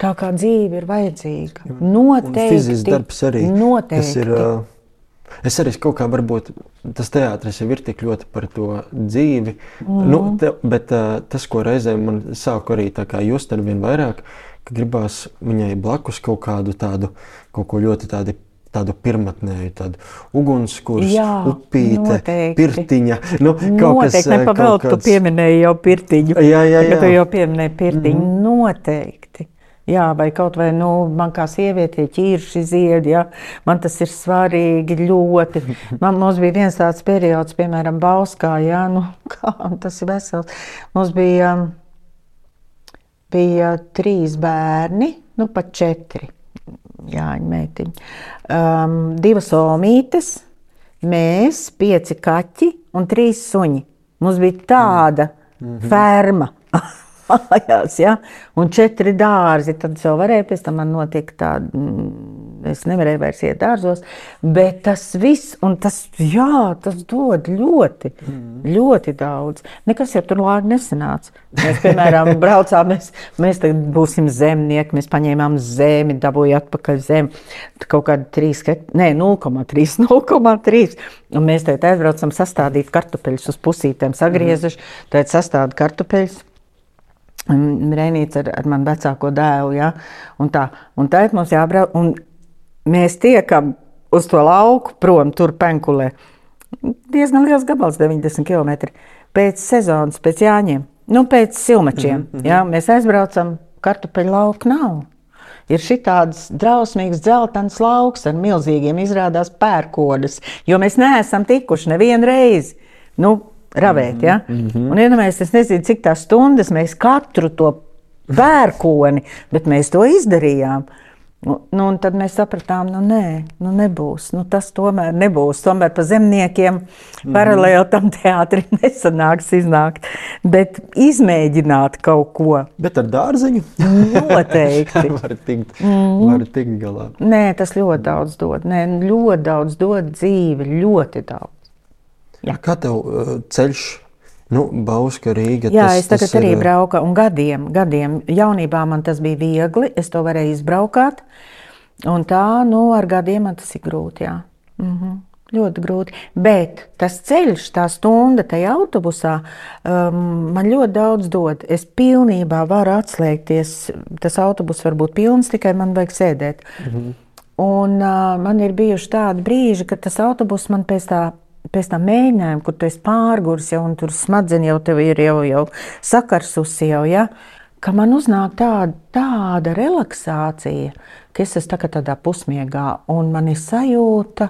Speaker 4: tā kā dzīve ir vajadzīga. Noteikti.
Speaker 3: Un fizisks darbs arī.
Speaker 4: Noteikti.
Speaker 3: Es arī kaut kā varbūt tas teātris jau ir tik ļoti par to dzīvi, bet tas, ko reizēm man sāk arī tā kā just ar vien vairāk, ka gribās viņai blakus kaut kādu tādu, kaut ko ļoti tādu pirmatnēju, tādu ugunskurs, upīte, pirtiņa.
Speaker 4: Noteikti, nepavēl, tu pieminēji jau pirtiņu.
Speaker 3: Jā.
Speaker 4: Tu jau pieminēji pirtiņu, noteikti. Jā, vai kaut vai, man kā sievietē ķirši ziedi, jā, man tas ir svarīgi ļoti. Mums bija viens tāds periods, piemēram, Bauskā, jā, tas ir vesels. Mums bija 3 bērni, pat 4, Jāņa meitiņi. 2 omītes, mēs, 5 kaķi un 3 suņi. Mums bija tāda ferma. Mājās, ja? Un 4 dārzi, tad jau varēja, pēc tam man notiek tāda, es nevarēju vairs iet dārzos, bet tas viss, un tas dod ļoti daudz. Nekas jau tur lāgi nesanāca. Mēs, piemēram, braucām, mēs tagad būsim zemnieki, mēs paņēmām zemi, dabūja atpakaļ zemi, kaut kādi 0,3. Un mēs tagad aizbraucam sastādīt kartupeļus uz pusītēm, sagriezuši, tagad sastāda kartupeļus. Reinīts ar manu vecāko dēlu, ja? Un tagad mums jābrauc, un mēs tiekam uz to lauku prom, tur Penkulē. Diezgan liels gabals, 90 km. Pēc sezonas, pēc Jāņiem, pēc silmačiem, ja? Mēs aizbraucam, kartupeļu lauku nav. Ir šitāds drausmīgs dzeltens lauks ar milzīgiem izrādās pērkodas, jo mēs neesam tikuši nevienu reizi. Ravēt, ja? Un iedomājies, es nezinu, cik tās stundas mēs katru to pērkoni, bet mēs to izdarījām. Un tad mēs sapratām, nebūs, tas tomēr nebūs. Tomēr pa zemniekiem paralēli tam teātrim nesanāks iznākt, bet izmēģināt kaut ko.
Speaker 3: Bet ar dārziņu?
Speaker 4: Noteikti.
Speaker 3: var tikt galā.
Speaker 4: Nē, tas ļoti daudz dod. Ļoti daudz dod dzīve, ļoti daudz. Jā.
Speaker 3: Kā tev ceļš, Bauska, Rīga?
Speaker 4: Jā, es tagad arī brauku, un gadiem. Jaunībā man tas bija viegli, es to varēju izbraukāt, un tā, ar gadiem man tas ir grūti, jā. Ļoti grūti, bet tas ceļš, tā stunda tajā autobusā, man ļoti daudz dod. Es pilnībā varu atslēgties, tas autobus var būt pilns, tikai man vajag sēdēt. Un man ir bijuši tādi brīži, kad tas autobus man pēc tā mēģinājuma, kur tu esi pārgurs jau, un tur smadzeņi jau tev ir jau sakarsusi jau, ja? Ka man uznāk tāda relaksācija, ka es esmu tādā pusmiegā, un man ir sajūta,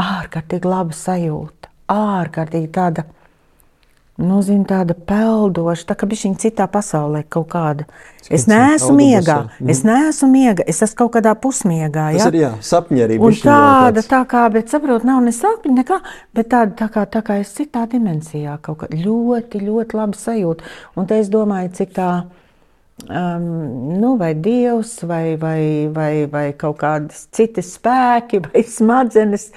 Speaker 4: ārkārtīgi laba sajūta, ārkārtīgi tāda, tāda peldoša, tā kā bišķiņ citā pasaulē kaut kāda. Es neesmu miegā, es esmu kaut kādā pusmiegā.
Speaker 3: Tas ir, sapņi arī bišķiņ.
Speaker 4: Un tā kā, bet saprot, nav ne sapņi, nekā, bet tā kā es citā dimensijā kaut kā ļoti, ļoti labi sajūta. Un te es domāju, cik tā, vai Dievs, vai kaut kādas citas spēki, vai smadzenes,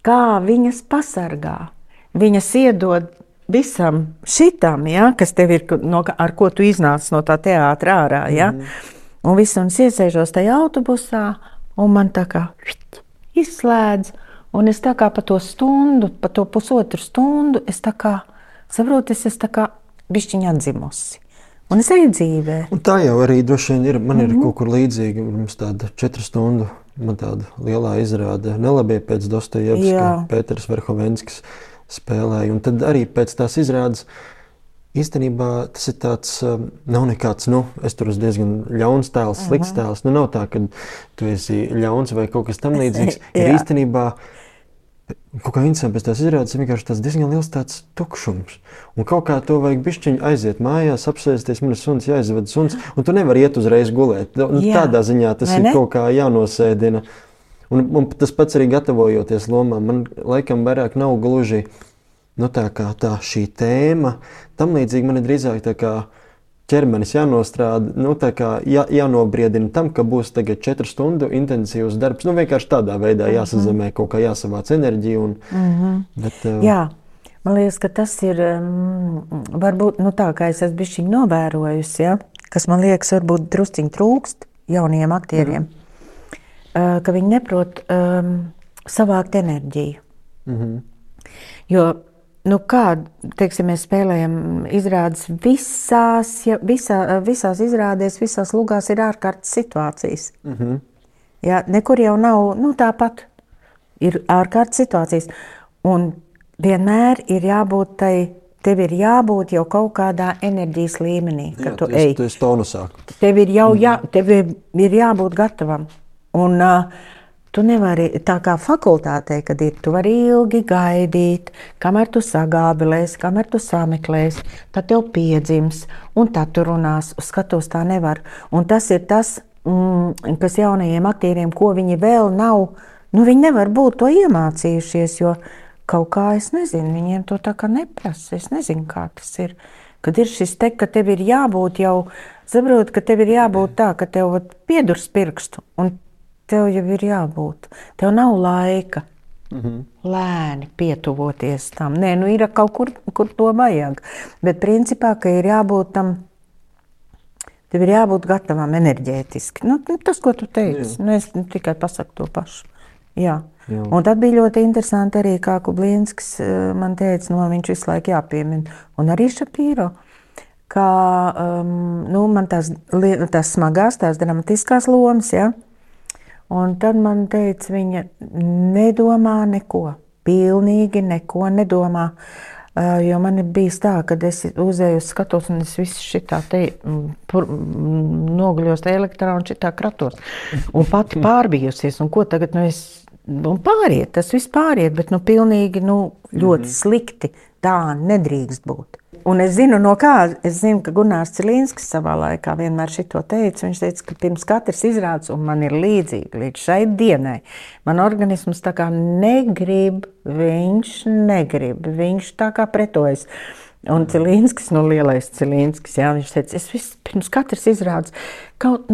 Speaker 4: kā viņas pasargā. Viņas iedod visam šitam, ja, kas tev ir, ar ko tu iznāc no tā teātra ārā, ja, Un viss, un es iesēžos tajā autobusā, un man tā kā izslēdz, un es tā kā pa to stundu, pa to pusotru stundu, es tā kā, saprotu, es tā kā bišķiņa atdzimusi. Un es eju dzīvē.
Speaker 3: Un tā jau arī droši vien ir, man ir kaut kur līdzīgi, mums tāda 4 stundu, man tāda lielā izrāde Nelabie pēc Dostojevska, Pēters Verhovenskis spēlēja, un tad arī pēc tās izrādes īstenībā tas ir tāds, nav nekāds, es tur esmu diezgan ļauns tēls, slikts tēls, nav tā, ka tu esi ļauns vai kaut kas tam līdzīgs, ir īstenībā kaut kā interesanti pēc tās izrādes, vienkārši tāds diezgan liels tāds tukšums. Un kaut kā to vajag bišķiņu aiziet mājās, apsēsties, man ir suns, jāizved suns, un tu nevari iet uzreiz gulēt. Tādā ziņā tas ir kaut kā jānosēdina. Un tas pats arī gatavojoties lomām. Man laikam vairāk nav gluži tā kā tā šī tēma. Tam līdzīgi man ir drīzāk tā kā ķermenis jānostrāda, tā kā jānobriedina tam, ka būs tagad 4 stundu intensīvs darbs. Vienkārši tādā veidā jāsazemē, kaut kā jāsavāc enerģiju.
Speaker 4: Jā, man liekas, ka tas ir varbūt tā, kā es esmu bišķiņ novērojusi, kas man liekas varbūt drusciņ trūkst jauniem aktieriem, ka viņi neprot savākt enerģiju. Jo kā, teiksim, mēs spēlējam izrādes visās izrādēs, visās lugās ir ārkārtas situācijas. Jā, nekur jau nav, tāpat ir ārkārtas situācijas. Un vienmēr ir jābūt tev ir jābūt jau kaut kādā enerģijas līmenī, kad tu ej.
Speaker 3: Tu esi tonusā.
Speaker 4: Tev ir jābūt gatavam. Un tu nevari, tā kā fakultātē, kad tu vari ilgi gaidīt, kamēr tu sagābilēsi, kamēr tu sameklēsi, tad tev piedzims, un tad tu runās, skatos tā nevar. Un tas ir tas, kas jaunajiem aktieriem, ko viņi vēl nav, viņi nevar būt to iemācījušies, jo kaut kā, es nezinu, viņiem to tā kā neprasa, es nezinu, kā tas ir. Kad ir šis ka tev ir jābūt jau, saprot, ka tev ir jābūt tā, ka tev piedurs pirkstu, un tev jau ir jābūt. Tev nav laika lēni pietuvoties tam. Nē, ir kaut kur to vajag. Bet principā, ka ir jābūt tam, tev ir jābūt gatavam enerģētiski. Tas, ko tu teici. Es tikai pasaku to pašu. Jā. Un tad bija ļoti interesanti arī, kā Kublīnskis man teica, viņš visu laiku jāpiemina. Un arī Šapīro, kā man tās smagās, tās dramatiskās lomas, un tad man teica, viņa nedomā neko, pilnīgi neko nedomā, jo man ir bijis tā, kad es uzēju uz skatos un es visu šitā noguļos elektrā un šitā kratos un pati pārbijusies, un ko tagad, un pāriet, tas viss pāriet, bet pilnīgi, ļoti slikti, tā nedrīkst būt. Un es zinu, ka Gunārs Cilīnskis savā laikā vienmēr šito teica. Viņš teica, ka pirms katras izrādes, un man ir līdzīgi līdz šai dienai, man organisms tā kā negrib, viņš tā kā pretojas. Un Cilīnskis, lielais Cilīnskis, viņš teica, es pirms katras izrādes kaut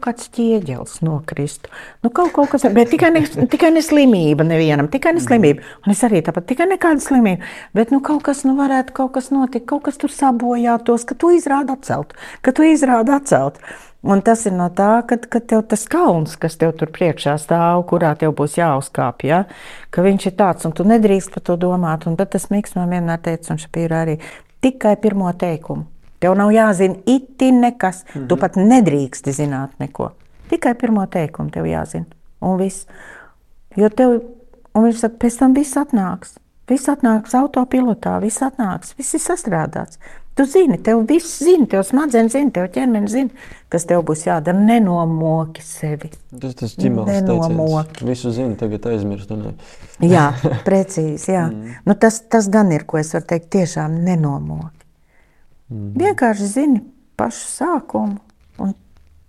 Speaker 4: kāds ķieģelis nokristu. Kaut kas, bet tikai ne slimība nevienam, tikai ne slimība. Un es arī tāpat, tikai nekāda slimība. Bet kaut kas varētu kaut kas notikt, kaut kas tur sabojātos, ka tu izrādi atcelt. Un tas ir no tā, ka tev tas kalns, kas tev tur priekšā stāv, kurā tev būs jāuzkāp, ka viņš ir tāds, un tu nedrīkst par to domāt. Un tad tas Miks man vienmēr teica, un Šapīra arī, tikai pirmo teikumu. Tev nav jāzina itin nekas, tu pat nedrīksti zināt neko. Tikai pirmo teikumu tev jāzina, un viss. Un viņš saka, pēc tam viss atnāks autopilotā, viss ir sastrādāts. Tu zini, tev viss zini, tev smadzenes zini, tev ķermenis zini, kas tev būs jādara. Nenomoki sevi.
Speaker 3: Tas ģimēls teiciens. Visu zini, tagad aizmirst.
Speaker 4: Jā, precīzi, jā. Tas gan ir, ko es varu teikt, tiešām nenomoki. Vienkārši zini pašu sākumu, un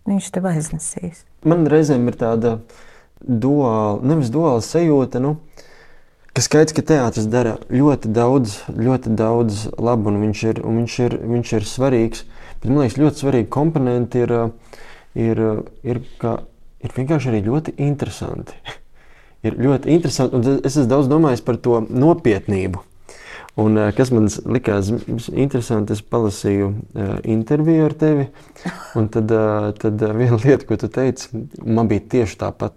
Speaker 4: viņš tev aiznesīs.
Speaker 3: Man reizēm ir tāda duāla sajūta, ka skaidrs, ka teātris dara ļoti daudz labu, un viņš ir svarīgs. Bet man liekas, ļoti svarīgi komponenti ir vienkārši arī ļoti interesanti. Ir ļoti interesanti, un es esmu daudz domājis par to nopietnību. Un, kas man likās interesanti, es palasīju interviju ar tevi, un tad viena lieta, ko tu teici, man bija tieši tāpat,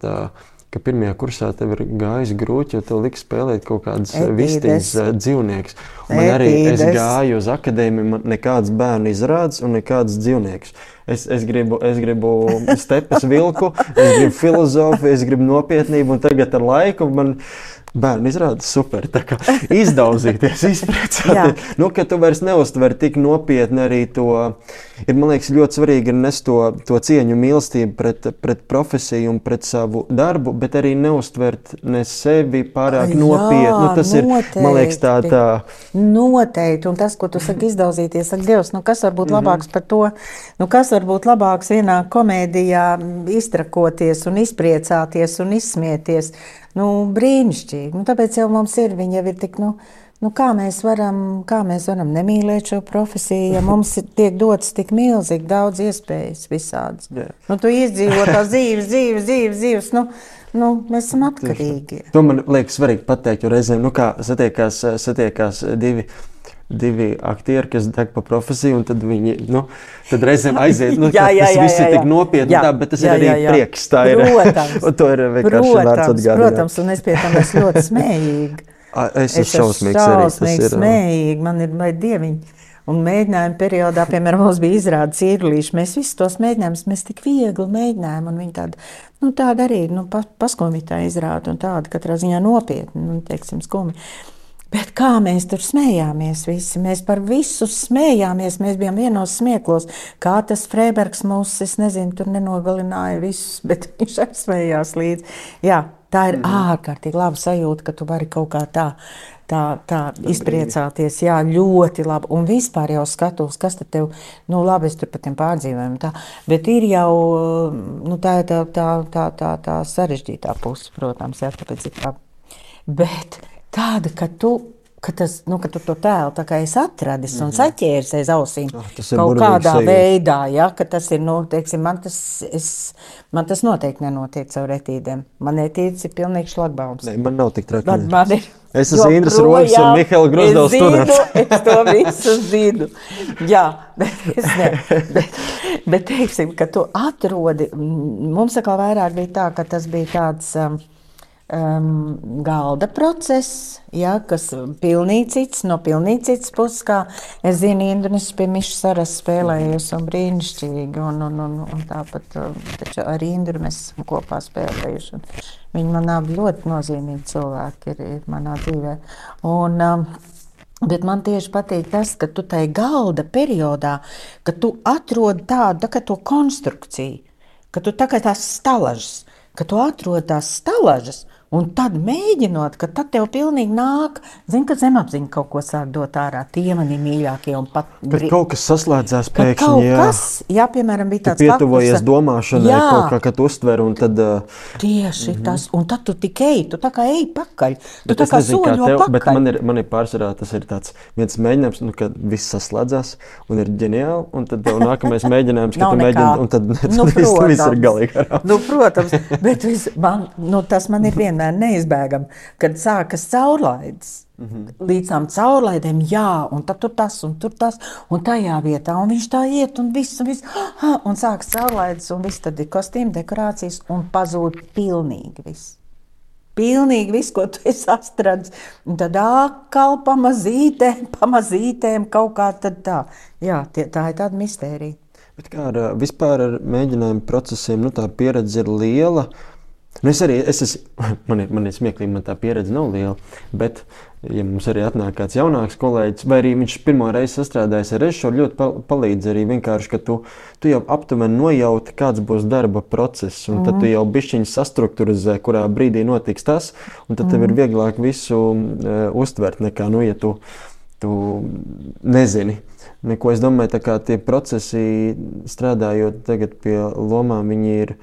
Speaker 3: ka pirmajā kursā tev ir gājis grūti, jo tev lika spēlēt kaut kādas vistiņas dzīvniekus. Man arī es gāju uz akadēmiju, man nekāds bērnu izrādes un nekāds dzīvniekus. Es gribu stepes vilku, es gribu filozofiju, es gribu nopietnību, un tagad ar laiku man bērni izrāda super, tā kā izdauzīties, izpriecāties. Nu, ka tu vairs neuztver tik nopietni arī to, man liekas, ļoti svarīgi ir nest to cieņu mīlestību pret profesiju un pret savu darbu, bet arī neuztvert ne sevi pārāk nopietni. Nu, tas noteikti. Ir, man liekas, tā.
Speaker 4: Noteikti, un tas, ko tu saki izdauzīties, saka Dievs, nu kas var būt labāks par to? Nu kas var būt labāks vienā komēdijā iztrakoties un izpriecāties un izsmieties? Nu, brīnišķīgi. Nu, tāpēc jau mums ir, viņa jau ir tik, kā mēs varam nemīlēt šo profesiju, ja mums tiek dots tik milzīgi daudz iespējas visādas. Yeah. Nu, tu izdzīvo tās dzīves, mēs esam atkarīgi.
Speaker 3: To man liekas svarīgi pateikt, jo reizēm, kā satiekās divi aktieri, kas deg pa profesiju, un tad viņi, tad reizēm aiziet, tas viss ir tik nopietni, bet tas ir arī prieks, tā ir.
Speaker 4: Protams,
Speaker 3: un to ir vienkārši vērts atgādināt.
Speaker 4: Protams, un es pie tam esmu ļoti smējīgi.
Speaker 3: Es esmu šausmīgi
Speaker 4: smējīgi, man ir vai dieviņi. Un mēģinājuma periodā, piemēram, mums bija izrādes īrulīši, mēs visus tos mēģinājumus, mēs tik viegli mēģinājām, un viņi tāda arī, paskumji tā izrāda, un tāda katrā ziņā nopietni, teiksim, skumi. Bet kā mēs tur smējāmies visi, mēs par visu smējāmies, mēs bijām vienos smieklos, kā tas Freibergs mūs, es nezinu, tur nenogalināja visus, bet viņš arī smējās līdzi. Jā, tā ir ārkārtīgi laba sajūta, ka tu vari kaut kā tā izpriecāties, jā, ļoti labi. Un vispār jau skatos, kas tad tev, labi, es tur par tiem pārdzīvojumiem tā, bet ir jau, tā sarežģītā puse, protams, jā, tāpēc ir tā. Bet tāda, ka tu to tēlu tā kā esi atradis un saķēris aiz ausīm kaut kādā veidā, ja, ka tas ir, teiksim, man tas noteikti nenotiek caur etīdēm. Man etīdes ir pilnīgi šlagbaums.
Speaker 3: Ne, man nav tik traki.
Speaker 4: Es
Speaker 3: esmu Indras Roļs un Mihaila Grozdovs students.
Speaker 4: Es to visu zinu. Jā, bet teiksim, ka tu atrodi, mums atkal vairāk bija tā, ka tas bija tāds galda process, ja, kas pilnīgi cits puses, kā es zinu, Indras pie Mišas Saras spēlējies un brīnišķīgi, un tāpat taču ar Indru mēs esam kopā spēlējuši. Viņi man abi ļoti nozīmīgi cilvēki ir manā dzīvē. Bet man tieši patīk tas, ka tu tai galda periodā, ka tu atrodi tādu, tā kā to konstrukciju, ka tu tā kā tās stalažas, ka tu atrodi tās stalažas, un tad mēģinot, ka tad tev pilnīgi nāk, ka zemapziņa kaut ko sāk dot ārā, tie mani mīļākie un pat...
Speaker 3: Kad kaut kas saslēdzās pēkšņi,
Speaker 4: kaut kas, jā, piemēram, bija tāds...
Speaker 3: Tu pietuvojies domāšanai, kaut kā, kad uztver, un tad...
Speaker 4: Tieši tas, un tad tu tik eji, tu tā kā eji pakaļ, tu tā kā soļo pakaļ.
Speaker 3: Bet man ir pārsvarā, tas ir tāds viens mēģinājums, kad viss saslēdzās, un ir ģeniāli, un tad tev nākamais mēģinājums, kad tu mēģini, un tad viss ir galīgi arā.
Speaker 4: Protams, bet tas man ir vienmēr neizbēgam, kad sākas caurlaides. Līdz tām caurlaidēm, jā, un tad tur tas, un tajā vietā, un viņš tā iet, un viss, un sākas caurlaides, un viss tad ir kostīm, dekorācijas, un pazūd pilnīgi viss. Pilnīgi viss, ko tu esi atradis, un tad atkal pamazītēm kaut kā tad tā. Jā, tā ir tāda mistērija.
Speaker 3: Bet kā vispār ar mēģinājumu procesiem, tā pieredze ir liela. Man ir smieklīgi, man tā pieredze nav liela, bet, ja mums arī atnāk kāds jaunāks kolēģis, vai arī viņš pirmo reizi sastrādājas ar režisoru, ļoti palīdz arī vienkārši, ka tu jau aptuveni nojauti, kāds būs darba process, un tad tu jau bišķiņi sastrukturizē, kurā brīdī notiks tas, un tad tev ir vieglāk visu uztvert, nekā, ja tu nezini. Neko, es domāju, tā kā tie procesi, strādājot tagad pie lomām, viņi ir,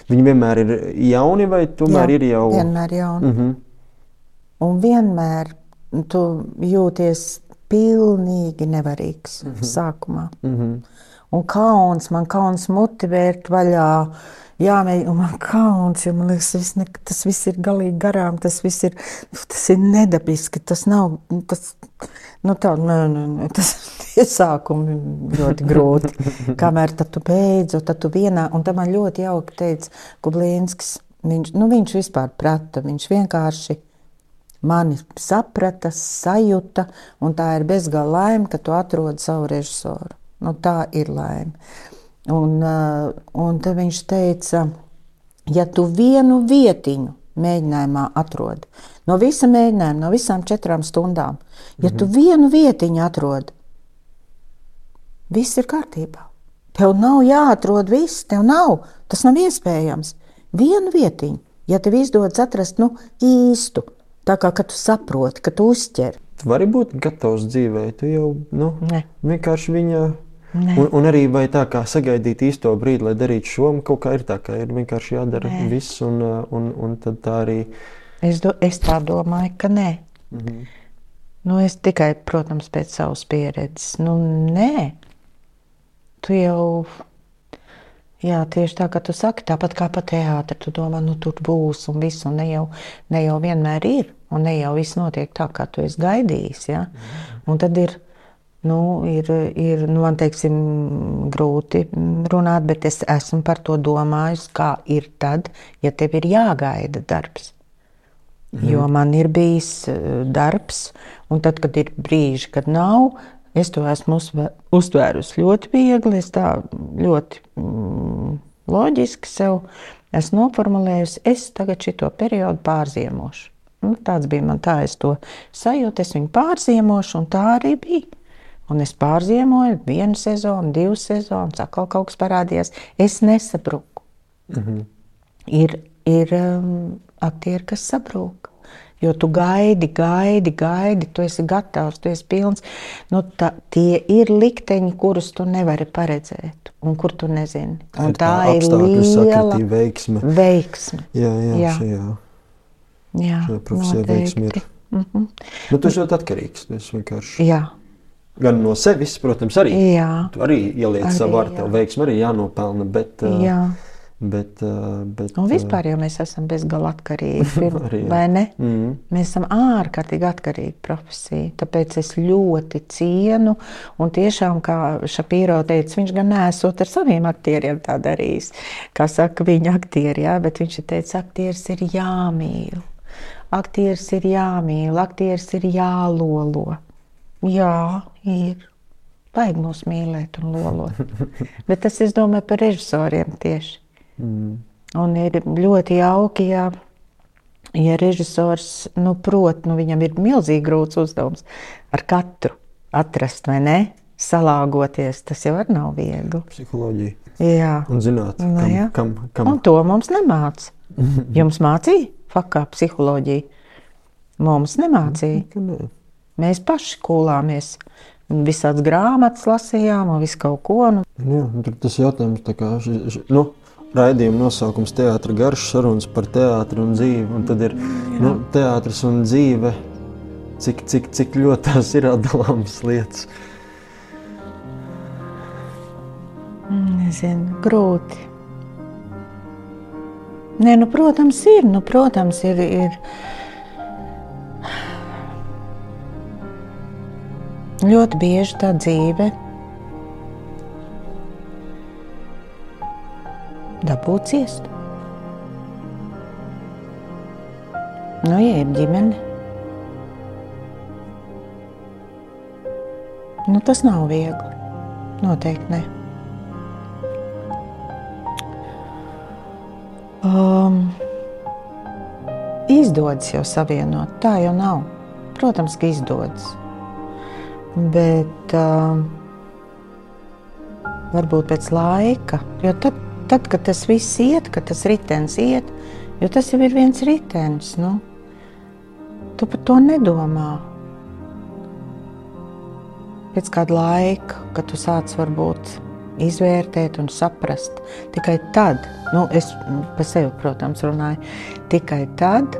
Speaker 3: viņi vienmēr ir jauni, vai tomēr ir jau...
Speaker 4: Jā, vienmēr jauni. Un vienmēr tu jūties pilnīgi nevarīgs sākumā. Un man kauns muti vērt vaļā, jāmēģina, un man kauns, jo man liekas, tas viss ir galīgi garām, tas ir nedabiski, tas nav, tas, tas iesākumi ļoti grūti, kamēr tad tu beidzu, tad tu vienā, un tad man ļoti jauki teica Kublīnskis, viņš vispār prata, viņš vienkārši mani saprata, sajuta, un tā ir bezgala laime, ka tu atrodi savu režisoru. Tā ir laime. Un tad viņš teica, ja tu vienu vietiņu mēģinājumā atrodi, no visa mēģinājuma, no visām 4 stundām, ja tu vienu vietiņu atrodi, viss ir kārtībā. Tev nav jāatrod viss, tev nav, tas nav iespējams. Vienu vietiņu, ja tev izdodas atrast, īstu, tā kā, ka tu saproti, ka tu uzķer.
Speaker 3: Tu vari būt gatavs dzīvē, tu jau, vienkārši viņa... Un arī vai tā kā sagaidīt īsto brīdi, lai darītu šo, kaut kā ir tā, ka ir vienkārši jādara viss, un tad tā arī...
Speaker 4: Es tā domāju, ka nē. Es tikai, protams, pēc savas pieredzes. Nē. Tu jau... Jā, tieši tā, kā tu saki, tāpat kā pa teātri, tu domā, tur būs un viss, un ne jau vienmēr ir, un ne jau viss notiek tā, kā tu esi gaidījis, ja? Un tad ir, man teiksim, grūti runāt, bet es esmu par to domājis, kā ir tad, ja tev ir jāgaida darbs. Jo man ir bijis darbs, un tad, kad ir brīži, kad nav, es to esmu uztvērusi ļoti viegli, es tā ļoti loģiski sev esmu noformulējusi, es tagad šito periodu pārziemošu. Tāds bija man tā, es to sajūtu, es viņu pārziemošu, un tā arī bija. Un es pārziemoju 1 sezonu, 2 sezonas, atkal kaut kas parādījās. Es nesabruku. Ir aktieri, kas sabrūk. Jo tu gaidi, tu esi gatavs, tu esi pilns. Tie ir likteņi, kurus tu nevari paredzēt un kur tu nezini. Un tā ir liela veiksme.
Speaker 3: Jā. Šajā profesijā veiksme ir. Tu esi ļoti atkarīgs.
Speaker 4: Jā.
Speaker 3: Gan no sevis, protams, arī.
Speaker 4: Jā.
Speaker 3: Tu arī ieliec savu ar tev veiksmi, arī jānopelna, bet...
Speaker 4: Jā. Un vispār jau mēs esam bezgala atkarīgi, vai ne? Mēs esam ārkārtīgi atkarīgi profesija, tāpēc es ļoti cienu, un tiešām, kā Šapīro teica, viņš gan neesot ar saviem aktieriem tā darījis, kā saka viņa aktieri, jā, bet viņš teica, aktieris ir jāmīl, aktieris ir jāmīl, aktieris ir jālolo. Jā, ir. Vajag mūs mīlēt un lolot. Bet tas, es domāju, par režisoriem tieši. Un ir ļoti jauki, ja režisors, prot, viņam ir milzīgi grūts uzdevums ar katru atrast, vai ne? Salāgoties, tas jau arī nav viegli.
Speaker 3: Psiholoģija.
Speaker 4: Jā.
Speaker 3: Un zināt, kam.
Speaker 4: Un to mums nemāca. Jums mācīja fakā psiholoģiju? Mums nemācīja. Mēs paši kūlāmies. Visāds grāmatas lasījām un visu kaut ko.
Speaker 3: Jā, tas jautājums tā kā, raidījuma nosaukums Teātra garš, sarunas par teātru un dzīvi, un tad ir teātris un dzīve, cik ļoti tās ir atdalāmas lietas.
Speaker 4: Nezinu, grūti. Nē, protams, ir. Ļoti bieži tā dzīve dabū ciest. Ja ir ģimene, tas nav viegli. Noteikti ne. Izdodas jau savienot, tā jau nav. Protams, ka izdodas. Bet varbūt pēc laika, jo tad, kad tas viss iet, kad tas ritenis iet, jo tas jau ir viens ritenis, tu par to nedomā. Pēc kāda laika, kad tu sāc varbūt izvērtēt un saprast, tikai tad, es par sevi, protams, runāju, tikai tad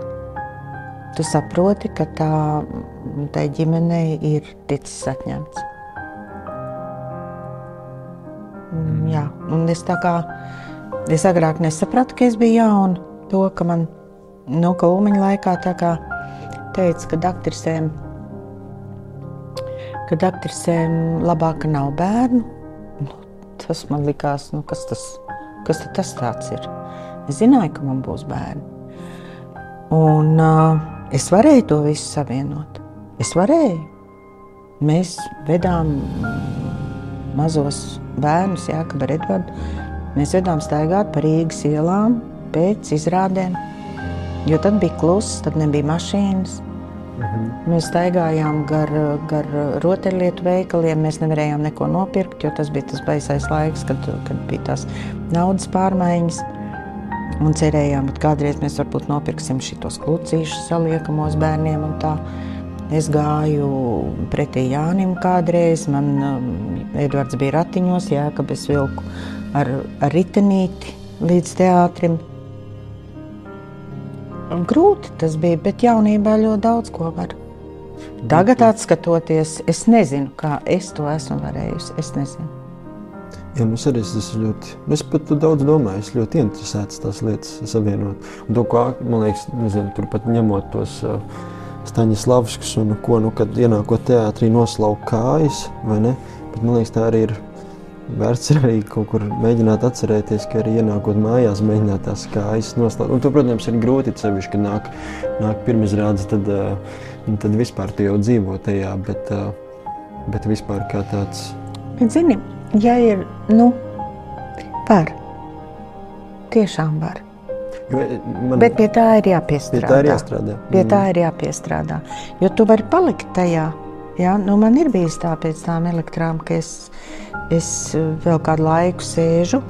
Speaker 4: tu saproti, ka tai ģimenei ir ticis atņemts. Jā, un es tā kā Es agrāk nesapratu, ka es biju jauna. To, ka man, ka Ulmaņa laikā tā kā teica, kad aktrisēm labāk, ka nav bērnu. Tas man likās, kas tas tāds ir. Es zināju, ka man būs bērni. Un es varēju to visu savienot. Es varēju. Mēs vedām mazos bērnus, Jākabu ar Edvardu. Mēs vedām staigāt pa Rīgas ielām pēc izrādēm, jo tad bija kluss, tad nebija mašīnas. Mēs staigājām gar rotaļlietu veikaliem, mēs nevarējām neko nopirkt, jo tas bija tas baisais laiks, kad bija tās naudas pārmaiņas. Un cerējām, ka kādreiz mēs varbūt nopirksim šitos klucīšus saliekamos bērniem un tā. Es gāju pretī Jānim kādreiz, man Edvards bija ratiņos, Jākab es vilku ar ritenīti līdz teātrim. Grūti tas bija, bet jaunībā ļoti daudz ko var. Tagad atskatoties, es nezinu, kā es to esmu varējusi, es nezinu.
Speaker 3: Jā, es pat daudz domāju, es ļoti interesēts tās lietas savienot. Un to, kā, man liekas, turpat ņemot tos Staņislavskus un kad ienākot teātrī noslauka kājas, vai ne? Bet man liekas, tā arī ir vērts arī kaut kur mēģināt atcerēties, ka arī ienākot mājās mēģināt tās kājas noslaukt. Un to, protams, ir grūti sevišķi, kad nāk pirmizrādes, tad vispār tu jau dzīvo tajā, bet vispār kā tāds...
Speaker 4: Bet zini, ja ir, var. Tiešām var. Bet pie tā ir jāpiestrādā. Pie tā ir jāpiestrādā. Jo tu vari palikt tajā. Ja? Man ir bijis tā pēc tām elektrām, ka es vēl kādu laiku sēžu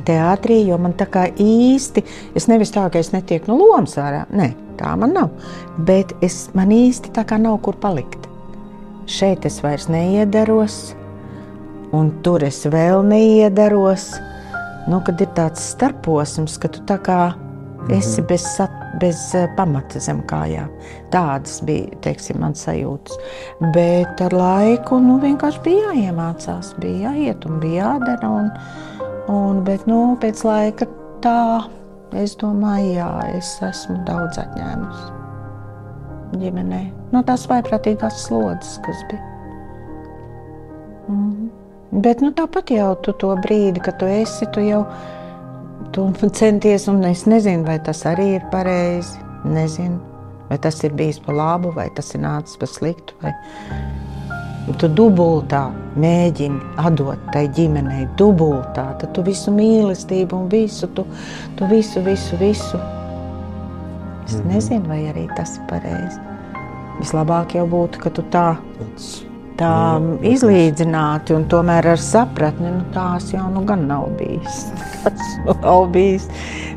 Speaker 4: teātrī, jo man tā kā īsti, es nevis tā, ka es netieku no lomas ārā. Nē, tā man nav. Bet man īsti tā kā nav kur palikt. Šeit es vairs neiedaros, un tur es vēl neiedaros. Kad ir tāds starposms, ka tu tā kā esi bez pamata zem kājām. Tādas bija, teiksim, man sajūtas. Bet ar laiku vienkārši bija jāiemācās, bija jāiet un bija jādara. Bet pēc laika tā, es domāju, jā, es esmu daudz atņēmusi ģimenē. Tās vaiprātīgās slodzes, kas bija. Bet tāpat jau tu to brīdi, kad tu esi, tu centies, un es nezinu, vai tas arī ir pareizi, nezinu, vai tas ir bijis pa labu, vai tas ir nācis pa sliktu, vai tu dubultā mēģini atdot tai ģimenei, dubultā, tad tu visu mīlestību un visu, tu visu. Es nezinu, vai arī tas ir pareizi. Vislabāk jau būtu, ka tu tā izlīdzināti un tomēr ar sapratni, tās jau gan nav bijis. Tas nav bijis.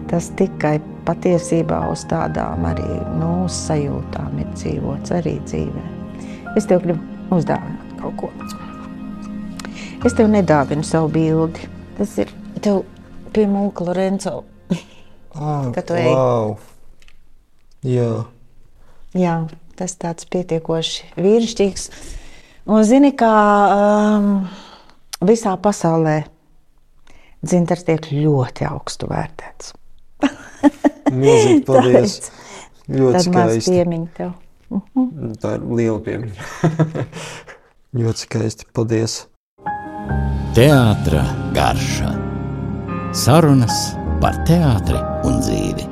Speaker 4: Tas tikai patiesībā uz tādām arī sajūtām ir dzīvots arī dzīvē. Es tev gribu uzdāvināt kaut ko. Es tev nedāvinu savu bildi. Tas ir tev pie Mūka Lorenco. Kad tu ej.
Speaker 3: Wow.
Speaker 4: Jā, tas tāds pietiekoši vīrišķīgs. Un zini, kā visā pasaulē dzintars tiek ļoti augstu vērtēts.
Speaker 3: Milzīgi paldies. Ļoti
Speaker 4: tad
Speaker 3: skaisti.
Speaker 4: Tad maz piemiņa tev.
Speaker 3: Tā ir liela piemiņa. Ļoti skaisti. Paldies.
Speaker 2: Teātra garša. Sarunas par teātri un dzīvi.